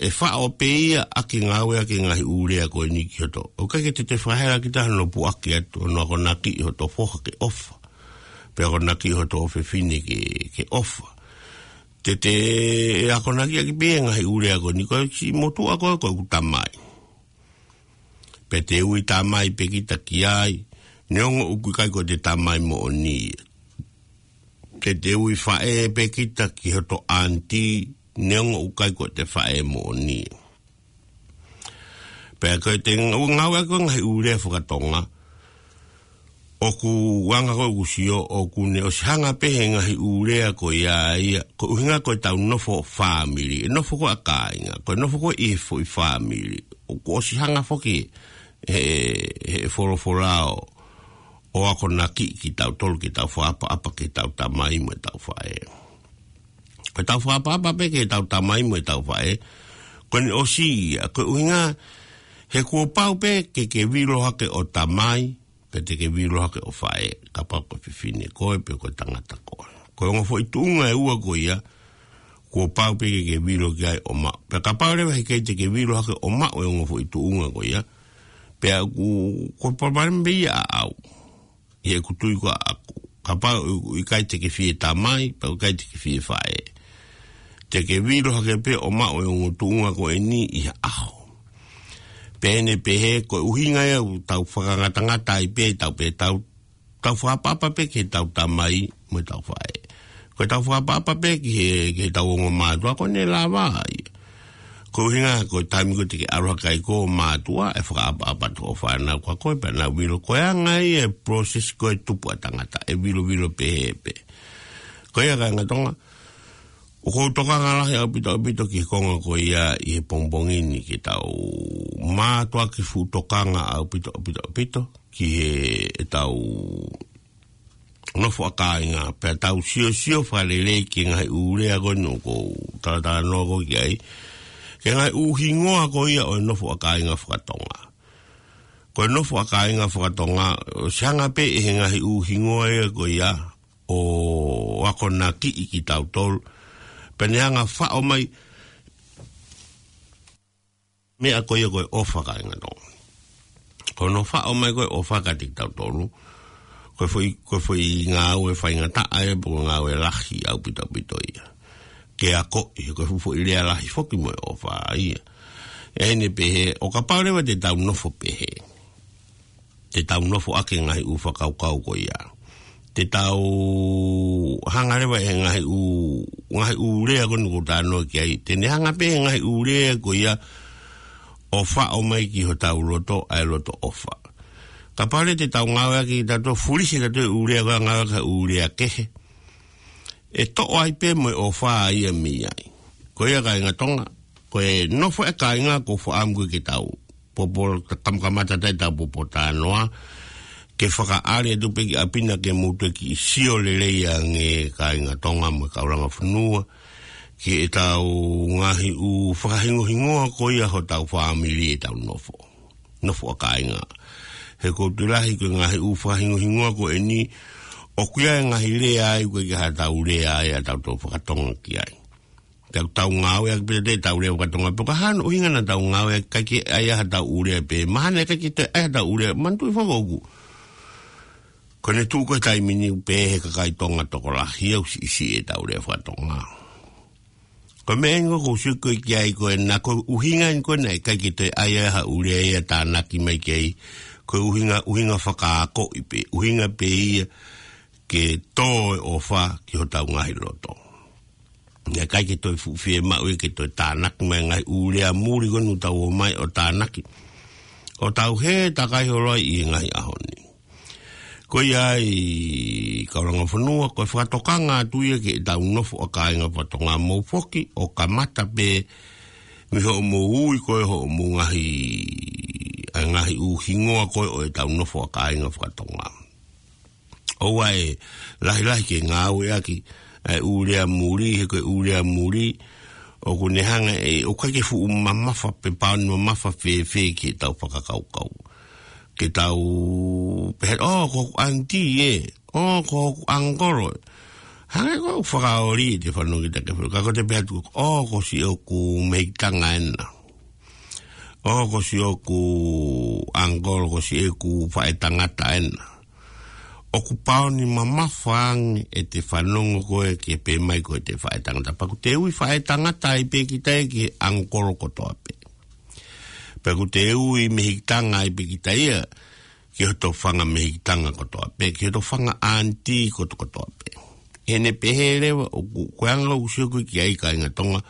ʻe faʻo pē ia ʻaki e ngāue ʻaki e ngaahi ʻū lea ko eni ki hoto. ʻOku ʻikai ke te te fakahela kita hono puʻaki atu, hono akonakiʻi hoto foha ke ʻofa. Pea akonakiʻi hoto ʻofefine ke, ke ʻofa. Te te akonakiʻi ʻaki pē e ngaahi ʻū lea ko eni ko e siʻi motuʻa ko ē ko ʻeku tamai. Pea te ui tamai pē kita ki ai, neongo ʻoku ʻikai ko ʻete tamai moʻoni ia. Te te ui faʻē pē kita ki hoto aunty, neongo ʻoku ʻikai ko ʻete faʻē moʻoni ia. Pea ko ʻete ngāue ʻaki e ngaahi ʻū lea fakatonga, ʻoku anga ko ē ʻoku sio, ʻoku ne ʻosi hanga pē he ngaahi ʻū lea ko ia ia, ko e ʻuhinga ko ʻetau nofo fāmili, e nofo ko ē ʻa kāinga, ko e nofo ko ē ʻi he foʻi fāmili. ʻOku ʻosi hanga foki he, he folofola ʻo, ʻo akonakiʻi kitautolu ke tau fakaʻapaʻapa ki heʻetau tamai mo ʻetau faʻē. Ko ʻetau fakaʻapaʻapa pē ki heʻetau tamai mo ʻetau faʻē, ko ʻene ʻosi ia, ko e ʻuhinga, he kuo pau pē ke ke vilo hake ʻo tamai, pea te ke vilo hake ʻo faʻē, kapau ko e fefine koe, pe ko e tangata koe. Ko e ongo foʻi tuʻunga ʻe ua ko ia, kuo pau pē ke ke vilo ki ai ʻo maʻu. Pea kapau leva he ʻikai te ke vilo hake ʻo maʻu e ongo foʻi tuʻunga ko ia, pea ʻoku, ko e palopalema pē ia ʻaʻau. ʻI heʻeku tui ko ʻaʻaku. Kapau ʻoku ʻikai te ke fie tamai, pea ʻoku ʻikai te ke fie faʻē. Te ke vilo hake pē ʻo maʻu e ongo tuʻunga ko eni ʻi ha ʻaho. Pea ʻene pehē ko e ʻuhinga ia ʻoku tau fakangatangata ai pē, tau pē, tau, tau fakaʻapaʻapa pē ki heʻetau tamai mo ʻetau faʻē. Ko ʻetau fakaʻapaʻapa pē ki he, ki heʻetau ongo mātuʻa ko ʻene lava ia. Ko e ʻuhinga ko e taimi ko ē te ke ʻalu hake ai ko e mātuʻa, ʻe fakaʻapaʻapa atu hoʻo fānau kia koe pea nau vilo. Ko e anga ia e process ko ē tupu ʻa tangata, ʻe vilovilo pehē pē. Ko ia kāinga Tonga, ʻoku ou tokanga lahi ʻaupito ʻaupito ki he konga ko ia ʻi he pongipongi ni ke tau mātuʻaki fuʻu tokanga ʻaupito ʻaupito ʻaupito ki he ʻetau nofo ʻa kāinga, pea tau siosio fakalelei ki he ngaahi ʻū lea ko eni ʻoku ou talatalanoa ko ē ki ai, ki he ngaahi ʻū hingoa ko ia ʻo e nofo ʻa kāinga fakatonga. Ko e nofo ʻa kāinga fakatonga, ʻosi hanga pē ʻe he ngaahi ʻū hingoa ia ko ia ʻo akonakiʻi kitautolu, pea ne hanga faʻo mai meʻa ko ia ko e ʻofa kāinga Tonga. Ko hono faʻo mai ko e ʻofa kiate kitautolu, ko e foʻi, ko e foʻi ngāue faingataʻa ia, pe ko e ngāue lahi ʻaupito ʻaupito ia ke akoʻi, ko e foʻi lea lahi foki mo e ʻofa ia. ʻE ʻi ai ʻene pehē, ʻo kapau leva te tau nofo pehē, te tau nofo ʻaki e ngaahi ʻū fakakaukau ko ia, te tau hanga leva ʻe he ngaahi ʻū, ngaahi ʻū lea ko eni ʻoku ou talanoa ki ai, te ne hanga pē ʻe he ngaahi ʻū lea ko ia ʻo faʻo mai ki hotau loto ʻa e loto ʻofa. Kapau leva te tau ngāueʻaki, te tau fulihi ʻe tautolu e ʻū lea ko ia, ngāueʻaki ha ʻū lea kehe, ʻe toʻo ai pē mo e ʻofa ia mei ai. Ko ia kāinga Tonga, ko e nofo ʻa kāinga ʻoku ou fakaʻamu ko ē ke tau popo, kamakamata atu ʻetau popo talanoa, ke fakaʻali atu pē ki ʻapi na ke mou toe kiʻi sio lelei ange kāinga Tonga mo e kaulanga fonua, ki heʻetau ngaahi ʻū fakahingohingoa ko ia hotau fāmili ʻetau nofo, nofo ʻa kāinga. He ʻoku ou tui lahi ko e ngaahi ʻū fakahingohingoa ko eni, ʻoku ʻi ai e ngaahi lea ai ʻoku ʻikai ke ʻi ai haʻatau lea ai ʻatautolu fakatonga ki ai. Tau, tau ngāueʻaki pē ʻetau lea fakatonga, pe ko e hā hono ʻuhinga naʻa tau ngāueʻaki, ʻikai ke ʻi ai haʻatau lea pē, mahalo ʻikai ke toe ʻi ai haʻatau lea, manatuʻi foki ʻoku, ko ʻene tuʻu ko ē he taimi ni pē he kakai Tonga tokolahi ʻoku siʻisiʻi ʻetau lea fakatonga. Ko e meʻa eni ʻoku ou sio ko ē ki ai ko ē, naʻa ko e ʻuhinga eni ko ē naʻe ʻikai ke toe ʻi ai haʻaku lea ia ʻo tānaki mai ki ai, ko e ʻuhinga, ʻuhinga fakaakoʻi pē, ʻuhinga pē ia ke tō e ʻofa ki hotau ngaahi loto. Naʻe ʻikai ke toe fuʻu fiemaʻu ia ke toe tānaki mai e ngaahi ʻū lea muli ko eni ʻoku tau ō mai ʻo tānaki, ʻo tau hē takai holo ai ʻi he ngaahi ʻaho ni. Ko ia ai kaulanga fonua, ko e fakatokanga atu ia ki heʻetau nofo ʻa kāinga fakatonga, mou foki ʻo kamata pē mei hoʻomou ui ko ē hoʻomou ngaahi, ʻa e ngaahi ʻū hingoa ko ē ʻo ʻetau nofo ʻa kāinga fakatonga. ʻOua ʻe lahilahi ke ngāueʻaki ʻa e ʻū lea muli, he ko e ʻū lea muli ʻoku ne hanga ʻe, ʻoku ʻikai ke fuʻu mamafa pe pāuni mamafa fēfē ki heʻetau fakakaukau. Ke tau pehē, ʻō, ko hoku aunty ē, ʻō, ko hoku uncle ē. Hangē ko e fakaoli ʻete fanongo ki he taʻu ke fai. Ka ko ʻete pehē atu, ʻō, ko siʻoku mehikitanga ena. ʻŌ, ko siʻoku uncle, ko siʻeku faʻētangata ena. ʻOku pāuni mamafa ange ʻete fanongo ko ē ke pehē mai ko ʻete faʻētangata. Pea ʻoku te ui faʻētangata ai pē kita ia ki he uncle kotoa pē. Pea ʻoku te ui mehikitanga ai pē kita ia ki hoto fanga mehikitanga kotoa pē, ki hoto fanga aunty kotoa kotoa pē. ʻI heʻene pehē leva, ʻoku, ko e anga ʻoku ou sio ko ē ki ai kāinga Tonga,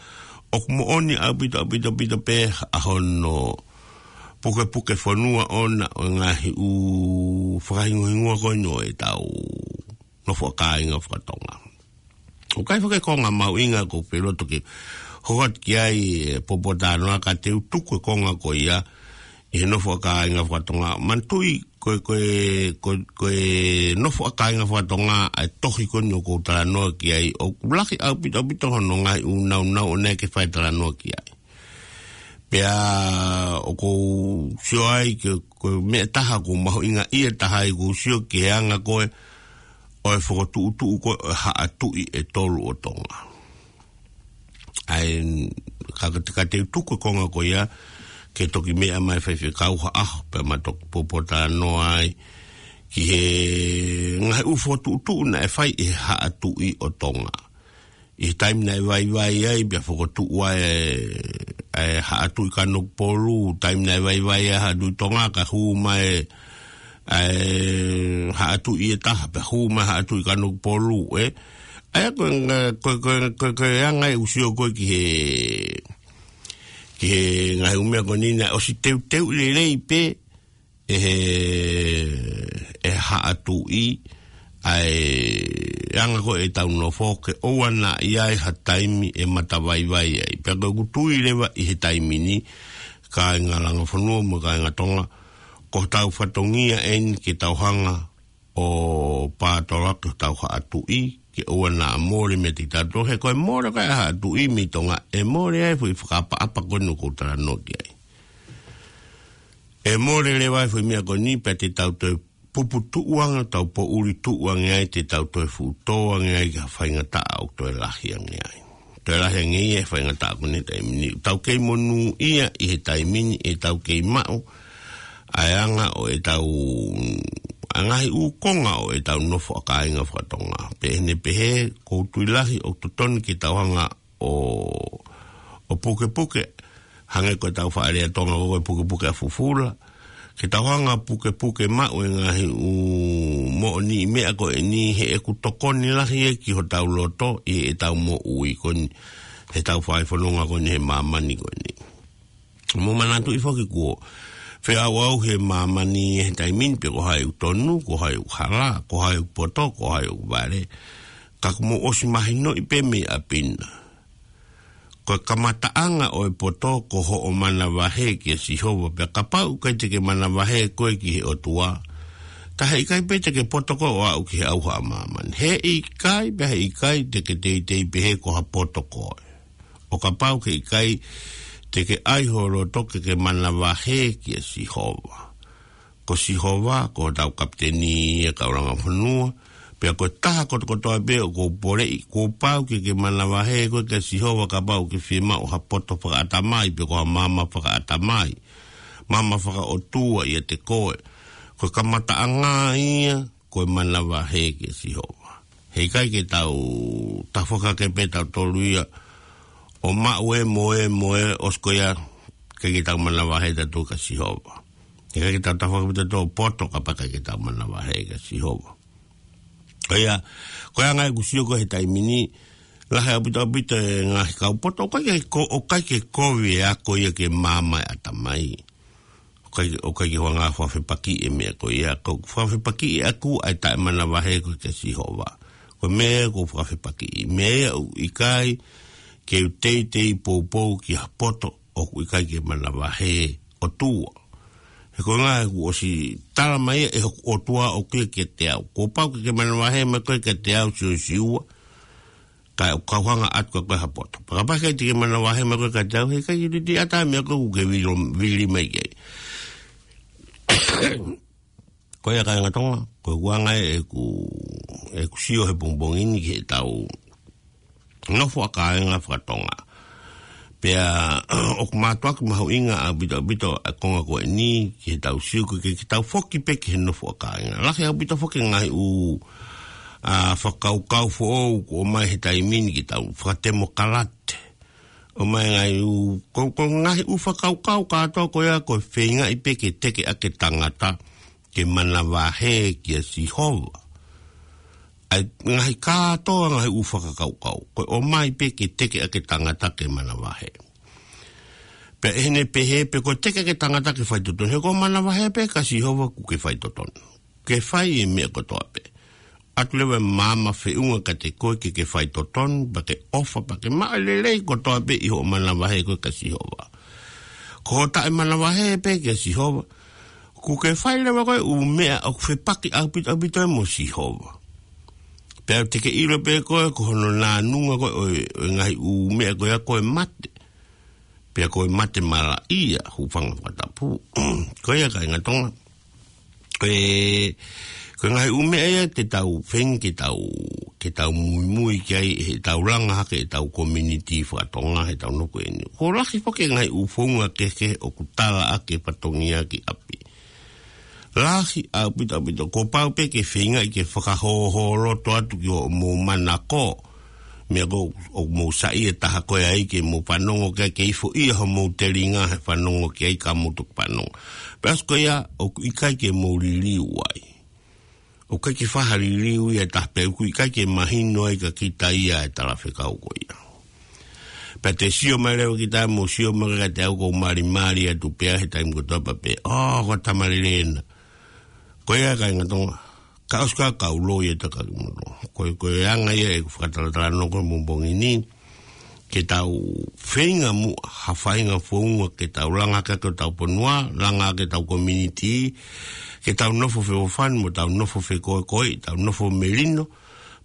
ʻoku moʻoni ʻaupito, ʻaupito, ʻaupito pē ʻa hono pukepuke fonua ʻona ʻo e ngaahi ʻū fakahingohingoa ko eni ʻo ʻetau nofo ʻa kāinga fakatonga. ʻOku ʻi ai foki e konga mahuʻinga ʻoku ou fie loto ke hoko atu ki ai e poupou talanoa, ka te u tuku e konga ko ia ʻi he nofo ʻa kāinga fakatonga. Manatuʻi ko e, ko e, ko e, ko e nofo ʻa kāinga fakatonga ʻa e tohi ko eni ʻoku ou talanoa ki ai, ʻoku lahi ʻaupito, ʻaupito hono ngaahi ʻū nāunau ʻo ʻene ke fai talanoa ki ai. Pea ʻoku ou sio ai ke, ko e meʻa ʻe taha ʻoku mahuʻinga ia ʻe taha ai ʻoku ou sio ki he anga ko ē ʻo e fokotuʻutuʻu ko ē ʻo e haʻa tuʻi ʻe tolu ʻo Tonga. ʻA ia, ka, ka, ka te u tuku e konga ko ia, ke toki meʻa mai faifekau ha ʻaho, pea ma toki poupou talanoa ai ki he ngaahi ʻū fokotuʻutuʻu naʻe fai ʻe he haʻa tuʻi ʻo Tonga. ʻI he taimi naʻe vaivai ai, pea fokotuʻu ai e, e Haʻa Tuʻi Kanokupolu, taimi naʻe vaivai ai Haʻa Tuʻi Tonga, kae hū mai e Haʻa Tuʻi ʻe taha, pea hū mai Haʻa Tuʻi Kanokupolu, ē. ʻA ia ko e, ko e, ko e, ko e, ko e anga ʻeku sio ko ē ki he, ki he ngaahi ʻū meʻa ko eni naʻe ʻosi teuteu lelei pē ʻe he, ʻe Haʻa Tuʻi, ʻa e anga ko ē ʻetau nofo ke ʻoua naʻa ʻi ai ha taimi ʻe matavaivai ai. Pea ko ʻeku tui leva ʻi he taimi ni, kāinga Langafonua mo e kāinga Tonga, ko hotau fatongia eni ke tau hanga ʻo pātoloaki hotau Haʻa Tuʻi, ke ʻoua naʻa mole meiate kitautolu, he ko e mole ko ē ʻa e Haʻa Tuʻi mei Tonga, ʻe mole ai e foʻi fakaʻapaʻapa ko eni ʻoku ou talanoa ki ai. ʻE mole leva ai e foʻi meʻa ko eni pea te tau toe puputuʻu ange, tau poʻuli tuʻu ange ai, te tau toe fuʻu tō ange ai ki ha faingataʻa ʻoku toe lahi ange ai. Toe lahi ange ia e faingataʻa ko eni he taimi ni. Tau kei monūʻia ʻi he taimi ni, ʻetau kei maʻu ʻa e anga ʻo ʻetau, ʻa e ngaahi ʻū konga ʻo ʻetau nofo ʻa kāinga fakatonga. Pea ʻi heʻene pehē, ʻoku ou tui lahi ʻoku totonu ke tau hanga ʻo, ʻo pukepuke, hangē ko ʻetau faʻa lea Tonga ko e pukepuke ʻa fufula. Ke tau hanga ʻo pukepuke maʻu e ngaahi ʻū moʻoniʻi meʻa ko eni, he ʻoku tokoni lahi ia ki hotau loto ʻi heʻetau moʻui ko eni, heʻetau fai fononga ko eni he māmani ko eni. Mou manatuʻi foki kuo feʻauʻauhi e māmani he taimi ni pe ko hai ʻoku tonu, ko hai ʻoku hala, ko hai ʻoku poto, ko hai ʻoku vale. Ka kuo mou ʻosi mahinoʻi pē mei ʻapi na, ko e kamataʻanga ʻo e poto ko hoʻo manavahē kia Sihova, pea kapau ʻoku ʻikai te ke manavahē koe ki he ʻOtua, ka heʻikai pē te ke poto koe ʻo aʻu ki he ʻauha ʻa māmani. Heʻikai, pea heʻikai te ke teitei pehē ko ha poto koe, ʻo kapau ʻoku ʻikai te ke ʻai ho loto ke ke manavahē kia Sihova. Ko Sihova, ko hotau kapiteni ia, kau Langafonua, pea ko e taha kotokotoa pē ʻoku ou poleʻi, kuo pau ke ke manavahē koe kia Sihova kapau ʻoku ke fiemaʻu ha poto fakaʻatamai, pe ko ha maama fakaʻatamai, maama fakaʻotua ʻiate koe. Ko e kamataʻanga ia, ko e manavahē kia Sihova. Heʻikai ke tau tafoki hake pē tautolu ia ʻo maʻu e moe, moe, ʻosi ko ia, ʻikai ke tau manavahē tautolu kia Sihova. Heʻikai ke tau tafoki hake pē tautolu ʻo poto kapau ʻikai ke tau manavahē kia Sihova. Ko ia, ko e anga ʻeku sio ko ē he taimi ni, lahi ʻaupito ʻaupito e ngaahi kau poto, ʻoku ʻikai ke ko-, ʻoku ʻikai ke kovi e ako ia ke maama e ʻatamai. ʻOku ʻikai, ʻoku ʻikai ke ʻuhinga fakafepakiʻi e meʻa ko ia, ko e fakafepakiʻi ʻaku ʻa e taʻemanavahē ko ē kia Sihova. Ko e meʻa ʻoku ou fakafepakiʻi, meʻa ia ʻoku ʻikai ke u teitei poupou ki ha poto ʻoku ʻikai ke manavahē ʻOtua. He ko e ʻuhinga ʻoku ʻosi tala mai ia ʻe hoku ʻOtua ʻoku ʻikai kiate au. Kuo pau ke ke manavahē mai koe kiate au, Siosiua, kae ʻoua ʻe hanga ʻo ʻatu kia koe ha poto. Pea kapau ʻoku ʻikai te ke manavahē mai koe kiate au, heʻikai ke u ʻiate koe ha meʻa ʻoku ke vilo-, vili mai ki ai. Ko ia kāinga Tonga, ko e ʻuhinga ia ʻeku, ʻeku sio he pongipongi ni ki heʻetau nofo ʻa kāinga fakatonga. Pea ʻoku mātuʻaki mahuʻinga ʻaupito ʻaupito ʻa e konga ko eni ki heʻetau sio ko ē ke, ke tau foki pē ki he nofo ʻa kāinga. Lahi ʻaupito foki e ngaahi ʻū, ʻa, fakakaukau foʻou kuo ʻomai he taimi ni ke tau fakatemokalate. ʻOmai e ngaahi ʻū, ko, ko e ngaahi ʻū fakakaukau kātoa ko ia ko e feingaʻi pē ke teke ʻaki e tangata ke manavahē kia Sihova. ʻA e ngaahi kātoa ngaahi ʻū fakakaukau, ko e ʻomai pē ke teke ʻaki e tangata ke manavahē. Pea ʻi heʻene pehē pē ko e teke ʻaki e tangata ke faitotonu, he ko e manavahē pē kia Sihova ʻoku ke faitotonu. Ke fai e meʻa kotoa pē. ʻAtu leva e maama feʻunga kiate koe ke ke faitotonu, pea ke ʻofa, pea ke maʻu e lelei kotoa pē ʻi hoʻo manavahē koe kia Sihova. Ko hoʻo taʻemanavahē pē kia Sihova, ʻoku ke fai leva koe e ʻū meʻa ʻoku fepaki ʻaupito ʻaupito ai mo Sihova. Pea te ke ʻilo pē koe ko hono nānunga ko ē ʻo e, ʻo e ngaahi ʻū meʻa ko ia ko e mate. Pea ko e mate malaʻia, hūfanga he fakatapu. Ko ia kāinga Tonga. Ko e, ko e ngaahi ʻū meʻa ia te tau feinga ke tau, ke tau muimui ki ai heʻetau langa hake ʻetau community fakatonga heʻetau nofo ko eni. Ko e lahi foki e ngaahi ʻū founga kehekehe ʻoku tala ʻaki e fatongia ki ʻapi. Lahi ʻaupito ʻaupito, kuo pau pē ke feingaʻi ke fakahōhōloto atu ki hoʻomou manako. Meʻa ko ē ʻoku mou saiʻia taha ko ē ai ke mou fanongo ki ai, ke ifoʻia homou telinga he fanongo ki ai ka mou toki fanongo. Pea ʻosi ko ia ʻoku ʻikai ke mou liliu ai. ʻOku ʻikai ke fai ha liliu ia ʻe taha pea ʻoku ʻikai ke mahino ai kia kita ia e talafekau ko ia. Pea te sio mai leva kita mo sio mai ka te au ʻoku ou malimali atu pē he taimi kotoa pē. ʻŌ, ko e tama lelei ena. Ko ia kāinga Tonga. Ka ʻosi ka kau loi e taka ki moto. Ko e, ko e anga ia ʻeku fakatalatalanoa ko e pongipongi ni. Ke tau feinga muʻa, ha faʻahinga founga ke tau langa hake ʻetau fonua, langa hake ʻetau community, ke tau nofo feʻofoʻofani mo tau nofo fekoekoeʻi, tau nofo melino,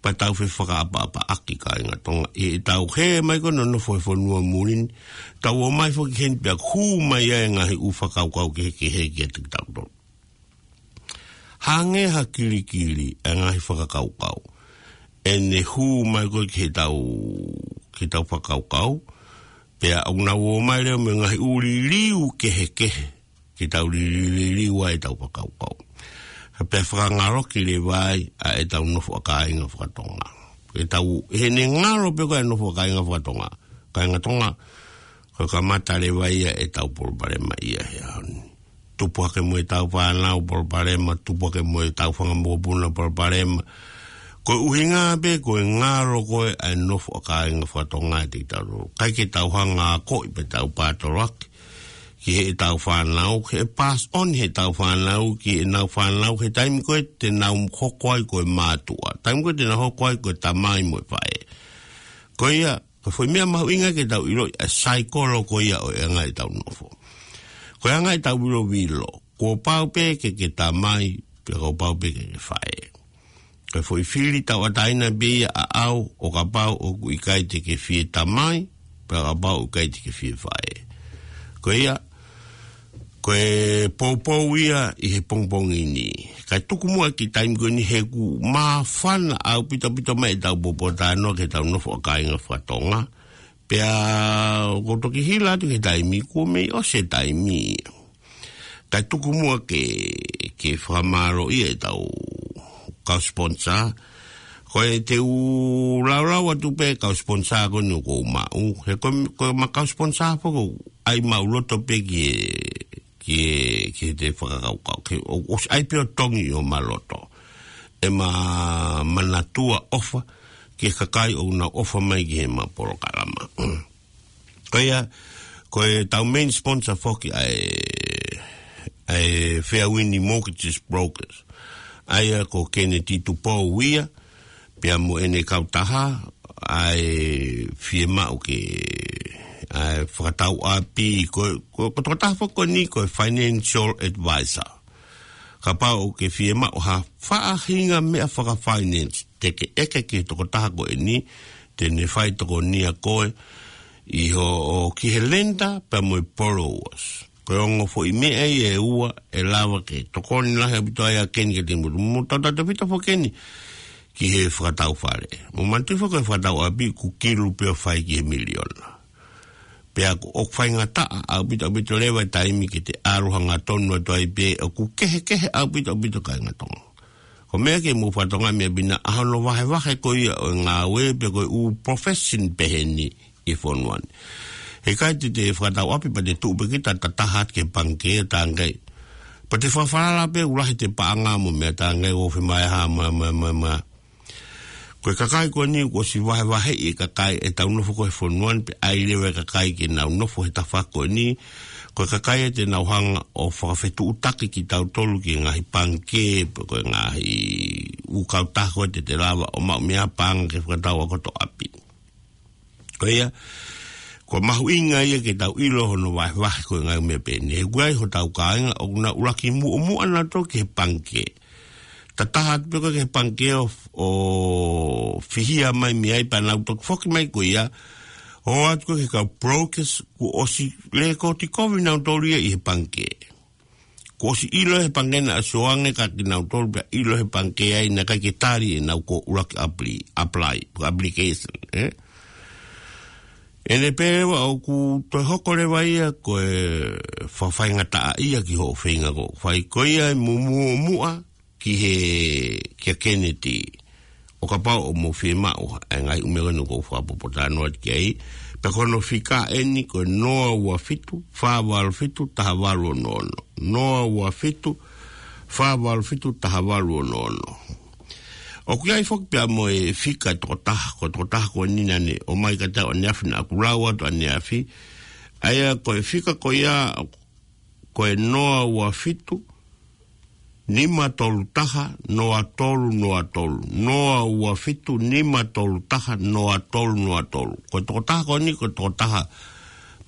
pea tau fefakaʻapaʻapaʻaki kāinga Tonga. ʻI heʻetau hē mai ko ena nofo he fonua muli ni, tau ō mai foki heni pea hū mai ai e ngaahi ʻū fakakaukau kehekehe kiate kitautolu. Hangē ha kilikili e ngaahi fakakaukau. ʻEne hū mai ko ē ki heʻetau, ki heʻetau fakakaukau. Pea ʻoku nau ō mai leva mo e ngaahi ʻū liliu kehekehe. Ke tau liliu, liliu ai ʻetau fakakaukau. Pea fakangaloki leva ai ʻa ʻetau nofo ʻa kāinga fakatonga. ʻEtau, heʻene ngalo pē ko e nofo ʻa kāinga fakatonga. Kāinga Tonga, ko e kamata leva ia ʻetau palopalema ia he ʻaho ni. Tupu hake mo ʻetau fānau palopalema, tupu hake mo ʻetau fanga mokopuna palopalema. Ko e ʻuhinga pē, ko e ngalo ko ē ʻa e nofo ʻa kāinga fakatonga ʻiate kitautolu. ʻIkai ke tau hanga ʻo akoʻi pē ʻetau pātoloaki ki heʻetau fānau, ke pass on heʻetau fānau, ki heʻenau fānau, he taimi ko ē te nau hoko ai ko e mātuʻa. Taimi ko ē te nau hoko ai ko e tamai mo e faʻē. Ko ia, ko e foʻi meʻa mahuʻinga ke tau ʻiloʻi ʻa e saikolo ko ia ʻo e anga ʻetau nofo. Ko e anga ʻetau vilovilo, kuo pau pē ke ke tamai, pea kuo pau pē ke ke faʻē. Ko e foʻi fili tauʻatāina pē ia ʻaʻau, ʻo kapau ʻoku ʻikai te ke fie tamai, pea kapau ʻoku ʻikai te ke fie faʻē. Ko ia, ko e poupou ia ʻi he pongipongi ni. Kae tuku muʻa ki he taimi ko eni he ʻoku māfana ʻaupito ʻaupito mai ʻetau poupou talanoa ki heʻetau nofo ʻa kāinga fakatonga. Pea ʻoku ou toki hila atu ki he taimi, kuo mei ʻosi e taimi. Kae tuku muʻa ke, ke fakamālō ia ʻetau kau sponsor. Ko e te u laulau atu pē kau sponsor ko eni ʻoku ou maʻu. He ko, ko ʻema kau sponsor foki ʻoku ʻai maʻuloto pē ki he, ki he, ki heʻete fakakaukau. Ke ʻo, ʻosi ʻai pē ʻo tongi ʻi homa loto. ʻEma manatua ʻofa, ki he kakai ʻoku nau ʻofa mai ki heʻema polokalama. Ko ia, ko ʻetau main sponsor foki ʻa e, ʻa e Fairwind Mortgages Brokers. ʻA ia ko Kennedy Tupou ia, pea mo ʻene kautaha, ʻa e fiemaʻu ke, ʻa e fakatau ʻapi, ko, ko, ko e tokotaha foki ko eni ko e financial advisor. Kapau ʻoku ke fiemaʻu ha faʻahinga meʻa fakafinance, te ke ʻeke ki he tokotaha ko eni, te ne fai tokonia koe, ʻi hoʻo ki he lender, pea mo e borrowers. Ko e ongo foʻi meʻa ia ʻe ua, ʻe lava ke tokoni lahi ʻaupito ai ʻa Keni ke te mutu. Mo tautautefito foki Keni, ki he fakatau fale. Mo manatuʻi foki ko e fakatau ʻapi ʻoku kilu pē ʻo fai ki he miliona. Pea ʻoku, ʻoku faingataʻa ʻaupito, ʻaupito leva e taimi ke te ʻalu hangatonu atu ai pē, ʻoku kehekehe ʻaupito, ʻaupito kāinga Tonga. Ko e meʻa ke mou fakatokangaʻi meʻa pē ena ʻa hono vahevahe ko ia ʻo e ngāue pe ko e ʻū profession pehē ni ʻi he fonua ni. He ʻikai te te fakatau ʻapi pea te tuʻu pē kita ʻo tataha atu ki he pangikē ʻo talaange. Pea te fakafalala pē ʻoku lahi ʻete paʻanga mo meʻa, talaange ʻoku fiemaʻu ha meʻa, meʻa, meʻa, meʻa. Ko e kakai ko eni kuo ʻosi vahevaheʻi e kakai ʻetau nofo ko ē he fonua ni pea ʻai leva e kakai ke nau nofo he tafaʻaki ko eni. Ko e kakai ia te nau hanga ʻo fakafetuʻutaki kitautolu ki he ngaahi pangikē, pe ko e ngaahi ʻū kautaha ko ē te te lava ʻo maʻu mei ai ha paʻanga ke fakatau ʻa hoto ʻapi. Ko ia, ko e mahuʻinga ia ke tau ʻilo hono vahevahe ko e ngaahi meʻa pehē ni. He ʻoku ʻi ai hotau kāinga ʻoku nau ʻuluaki muʻomuʻa nautolu ki he pangikē. Tataha atu pē koe ki he pangikē ʻo, ʻo fihia mai mei ai pea nau toki foki mai ko ia. ʻO ʻoatu koe ki he kau brokers kuo ʻosi lēkooti kovi nautolu ia ʻi he pangikē. Kuo ʻosi ʻilo he pangikē naʻa ʻosi ʻoange kia kinautolu pea ʻilo he pangikē ai naʻe ʻikai ke tali ʻenau ko ʻuluaki apply, apply, application, ē? ʻEne pē leva ʻoku toe hoko leva ia ko e fakafaingataʻaʻia ki hoʻo feinga ko ē. Fai ko ia ʻi muʻomuʻa ki he, kia Kennedy. ʻO kapau ʻoku mou fiemaʻu ʻa e ngaahi ʻū meʻa ko eni ʻoku ou fakapotopoto atu ki ai. Pea ko hono fika eni ko e noa ua fitu, fā valu fitu, taha valu ono ono. Noa ua fitu, fā valu fitu, taha valu ono ono. ʻOku ʻi ai foki pea mo e fika ʻe toko taha, ko e toko taha ko eni naʻa ne ʻomai kiate au ʻaneafi, naʻa ku lau atu ʻaneafi. ʻA ia ko e fika ko ia, ko e noa ua fitu, nima tolu taha, noa tolu noa tolu. Noa ua fitu, nima tolu taha, noa tolu noa tolu. Ko e toko taha ko eni, ko e toko taha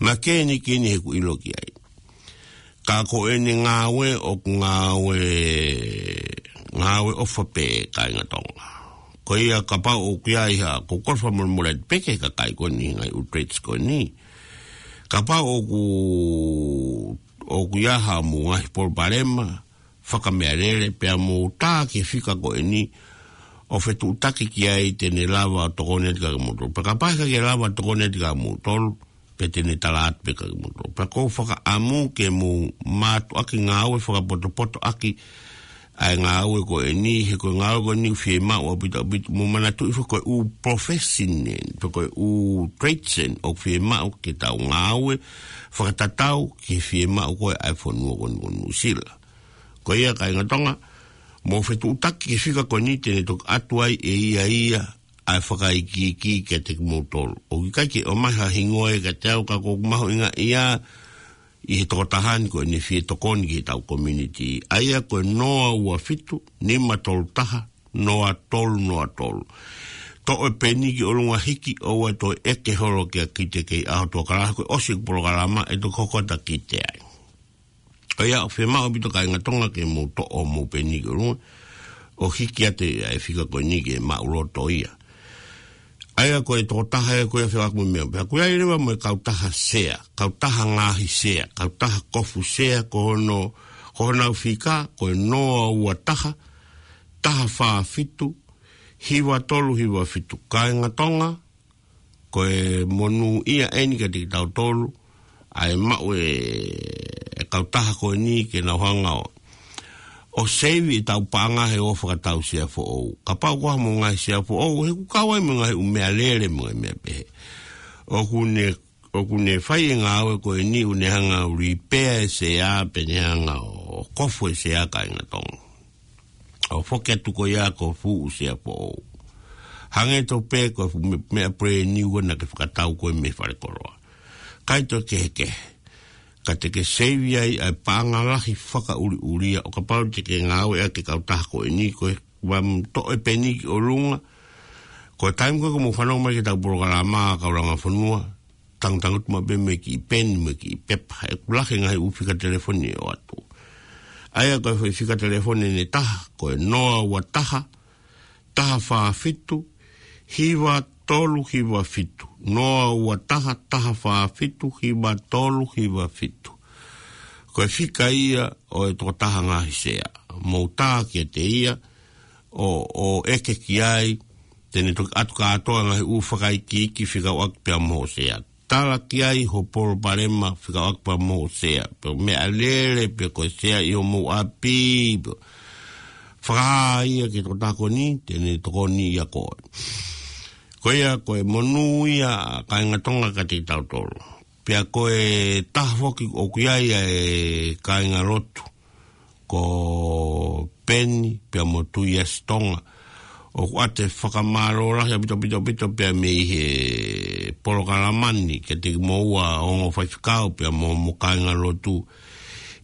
makehe ni ke ni he ʻoku ʻilo ki ai. Ka ko ʻene ngāue ʻoku ngāue, ngāue ʻofa pē kāinga Tonga. Ko ia kapau ʻoku ʻi ai ha, ko e kolofa molemole pē ki he kakai ko eni ngaahi ʻū trades ko eni. Kapau ʻoku, ʻoku ʻi ai haʻamou ngaahi palopalema fakameʻalele pea mou tā ki he fika ko eni ʻo fetuʻutaki ki ai te ne lava ʻo tokoni atu kiate kimoutolu. Pea kapau ʻe ʻikai ke lava ʻo tokoni atu kiate kimoutolu, pea te ne tala atu pē kiate kimoutolu. Pea ʻoku ou fakaʻamu ke mou mātuʻaki ngāue fakapotopoto ʻaki ʻa e ngāue ko eni, he ko e ngāue ko eni ʻoku fiemaʻu ʻaupito ʻaupito, mou manatuʻi foki ko e ʻū profession eni, pe ko e ʻū trades eni ʻoku fiemaʻu ke tau ngāue fakatatau ki he fiemaʻu ko ē ʻa e fonua ko eni ko Nuʻusila. Ko ia kāinga Tonga, mou fetuʻutaki ki he fika ko eni te ne toki ʻatu ai ʻe ia ia ʻa e fakaikiiki kiate kimoutolu. ʻOku ʻikai ke ʻomai ha hingoa ia kiate au ka ʻoku ou mahuʻingaʻia ʻi he toko taha ni ko ʻene fie tokoni ki heʻetau community. ʻA ia ko e noa ua fitu, nima tolu taha, noa tolu noa tolu. Toʻo e peni ki ʻolunga, hiki, ʻoua toe ʻeke holo kia Kite kei ʻaho tuʻa kalaha, ko e ʻosi ʻeku polokalama ʻe toki hoko atu ʻa Kite ai. ʻA ia ʻoku fiemaʻu ʻaupito kāinga Tonga ke mou toʻo homou peni ki ʻolunga ʻo hiki atu ʻa e fika ko eni ke maʻuloto ia. ʻA ia ko e toko taha ia ko ia fekauʻaki mo e meʻa. Pea ʻoku ʻi ai leva mo e kautaha sea, kautaha ngaahi sea, kautaha kofu sea, ko hono, ko honau fika ko e noa ua taha, taha fā fitu, hiva tolu hiva fitu. Kāinga Tonga, ko e monūʻia eni kiate kitautolu ʻa e maʻu e, e kautaha ko eni ke nau hanga ʻo, ʻo seivi ʻetau paʻanga he ʻofa ki heʻetau sea foʻou. Kapau ko e hā homou ngaahi sea foʻou, he ʻoku kau ai mo e ngaahi ʻū meʻalele mo e meʻa pehē. ʻOku ne, ʻoku ne fai e ngāue ko eni ʻo ne hanga ʻo repair e sea, pe ne hanga ʻo kofu e sea kāinga Tonga. ʻO foki atu ko ia ko e fuʻu sea foʻou. Hangē tofu pē ko e fuʻu me-, meʻa brand new naʻa ke fakatau ko ē mei falekoloa. ʻIkai toe kehekehe. Ka te ke seivi ai ʻa e paʻanga lahi fakaʻuliʻulia ʻo kapau te ke ngāueʻaki e kautaha ko eni ko e ʻoua mou toʻo e peni ki ʻolunga. Ko e taimi ko ē ʻoku mou fanongo mai ki heʻetau polokalama kau langa fonua, tangutangutu maʻu pē mo e kiʻi peni mo e kiʻi pepa. ʻOku lahi e ngaahi ʻū fika telefoni ʻe ʻoatu. ʻA ia ko e fika telefoni ʻe taha, ko e noa ua taha, taha fā fitu, hiva tolu hiva fitu. Noa ua taha, taha fā fitu, hiva tolu hiva fitu. Ko e fika ia ʻo e toko taha ngaahi sea. Mou tā kiate ia, ʻo, ʻo ʻeke ki ai, te ne toki ʻatu kātoa e ngaahi ʻū fakaikiiki fekauʻaki pea mo hoʻo sea. Tala ki ai hoʻo palopalema fekauʻaki pea mo hoʻo sea. Pe ko e meʻalele, pe ko e sea ʻi homou ʻapi, pe fakahā ia ki he toko taha ko eni, te ne tokoni ia koe. Ko ia ko e monūʻia kāinga Tonga kiate kitautolu. Pea ko e taha foki ʻoku ʻi ai ʻa e kāingalotu ko Peni pea mo Tuiasi Tonga. ʻOku ʻoatu e fakamālō lahi ʻaupito, ʻaupito, ʻaupito pea mei he polokalama ni kiate kimoua ongo faifekau pea mo, mo e kāingalotu.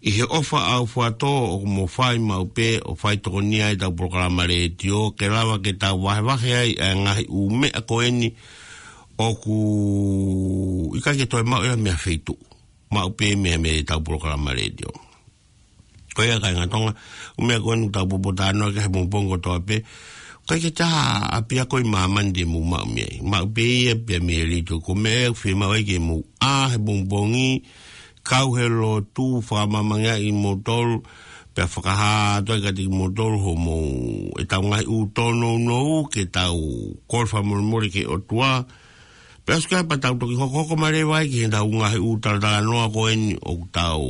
ʻI he ʻofa ʻaufuatō ʻoku mou fai maʻu pē ʻo fai tokoni ai ʻetau polokalama letiō, ke lava ke tau vahevahe ai ʻa e ngaahi ʻū meʻa ko eni ʻoku ʻikai ke toe maʻu ia mei ha feituʻu. Maʻu pē mei, mei heʻetau polokalama letiō. Ko ia kāinga Tonga, ʻū meʻa ko eni ʻoku tau poupou talanoa ki ai he pongipongi kotoa pē. ʻIkai ke toe ʻi ai ha ʻapiako ʻi māmani te mou maʻu mei ai. Maʻu pē ia pea mei he letiō. Ko e meʻa ʻoku fiemaʻu ai ke mou ʻā he pongipongi, kau he lotu, fakamāmangeʻi kimoutolu, pea fakahā atu ai kiate kimoutolu hoʻomou, ʻetau ngaahi ʻū tōnounou ke tau kole fakamolemole ki he ʻOtua. Pea ʻosi ko ia pea tau toki hokohoko mai leva ai ki heʻetau ngaahi ʻū talatalanoa ko eni ʻoku tau,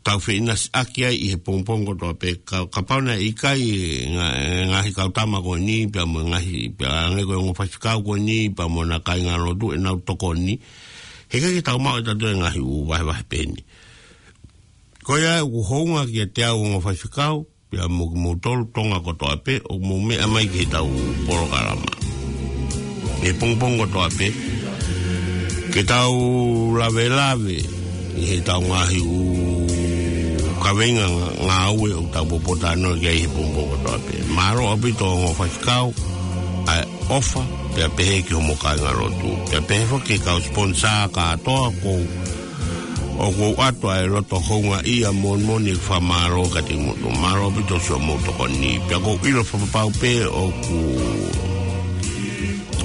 tau feʻinasiʻaki ai ʻi he pongipongi kotoa pē. Ka, kapau naʻe ʻikai e ngaahi, ngaahi kau tama ko eni pea mo e ngaahi, pea hangē ko e ongo faifekau ko eni pea mo ʻena kāingalotu ʻenau tokoni, heʻikai ke tau maʻu ʻe tautolu e ngaahi ʻū vahevahe pehē ni. Ko ia ʻoku hounga kiate au ongo faifekau, pea mo kimoutolu Tonga kotoa pē ʻoku mou meʻa mai ki heʻetau polokalama he pongipongi kotoa pē, ke tau lavelave ʻi heʻetau ngaahi ʻū kaveinga ngā-, ngāue ʻoku tau popota noa ki ai he pongipongi kotoa pē. Mālō ʻaupito ongo faifekau, ʻa e ʻofa, pea pehē ki homo kāingalotu. Pea pehē foki ki he kau sponsor kātoa ʻoku ʻoku ou ʻoatu ʻa e loto houngaʻia moʻoni moʻoni e fakamālō kiate kimoutolu. Mālō ʻaupito siʻomou tokoni. Pea ʻoku ou ʻilo fakapapau pē ʻoku,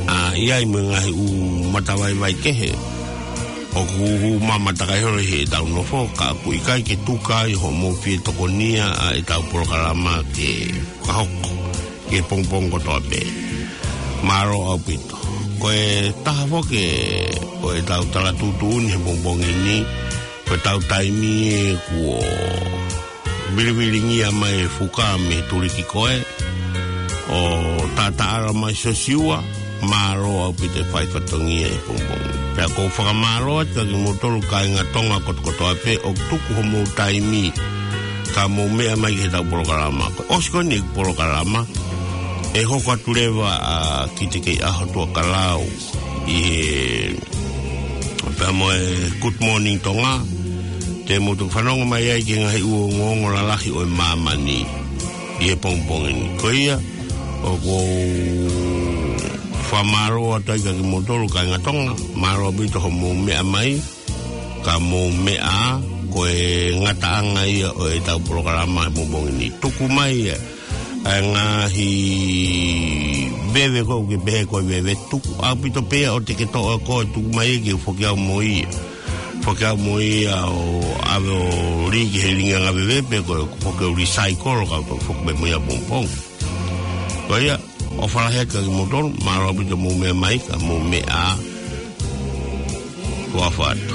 ʻa, ʻi ai mo e ngaahi ʻū matavaivai kehe ʻoku hū mamata ki ai holo ʻi heʻetau nofo, ka ʻoku ʻikai ke tuku ai hoʻomou fie tokonia ʻa ʻetau polokalama ke fakahoko he pongipongi kotoa pē. Mālō ʻaupito. Ko e taha foki ʻo ʻetau tala tuʻutuʻuni he pongipongi ni, ko ʻetau taimi ē kuo vilivilingia mai e fuka mei he tuliki ko ē, ʻo Tataʻala mai Sosiua, mālō ʻaupito e fai fatongia he pongipongi. Pea ʻoku ou fakamālō atu kiate kimoutolu kāinga Tonga kotokotoa pē ʻoku tuku homou taimi ka mou meʻa mai ki heʻetau polokalama. Ko e ʻosi ko eni e polokalama, ʻe hoko atu leva ʻa Kitekeiʻaho Tuʻakalau ʻi he, pea mo e Good Morning Tonga, te mou toki fanongo mai ai ki he ngaahi ʻū ongoongo lalahi ʻo e māmani ʻi he pongipongi ni. Ko ia, ʻoku ou fakamālō atu ai kiate kimoutolu kāinga Tonga, mālō ʻaupito hoʻomou meʻa mai, ka mou meʻa, ko e ngataʻanga ia ʻo ʻetau polokalama he pongipongi ni. Tuku mai ia ʻa e ngaahi veve ko ē ʻoku ke pehē ko e veve, tuku ʻaupito pē ia ʻo te ke toʻo ʻe koe, tuku mai ia ke u foki au mo ia. Foki au mo ia ʻo ʻave ʻo lī ki he lilingi ʻanga veve pe ko e foki ʻo recycle ʻo kau toki foki mai mo ia pongipongi. Ko ia, ʻofa lahi atu kiate kimoutolu, mālō ʻaupito mou meʻa mai, ka mou meʻa, ʻofa atu.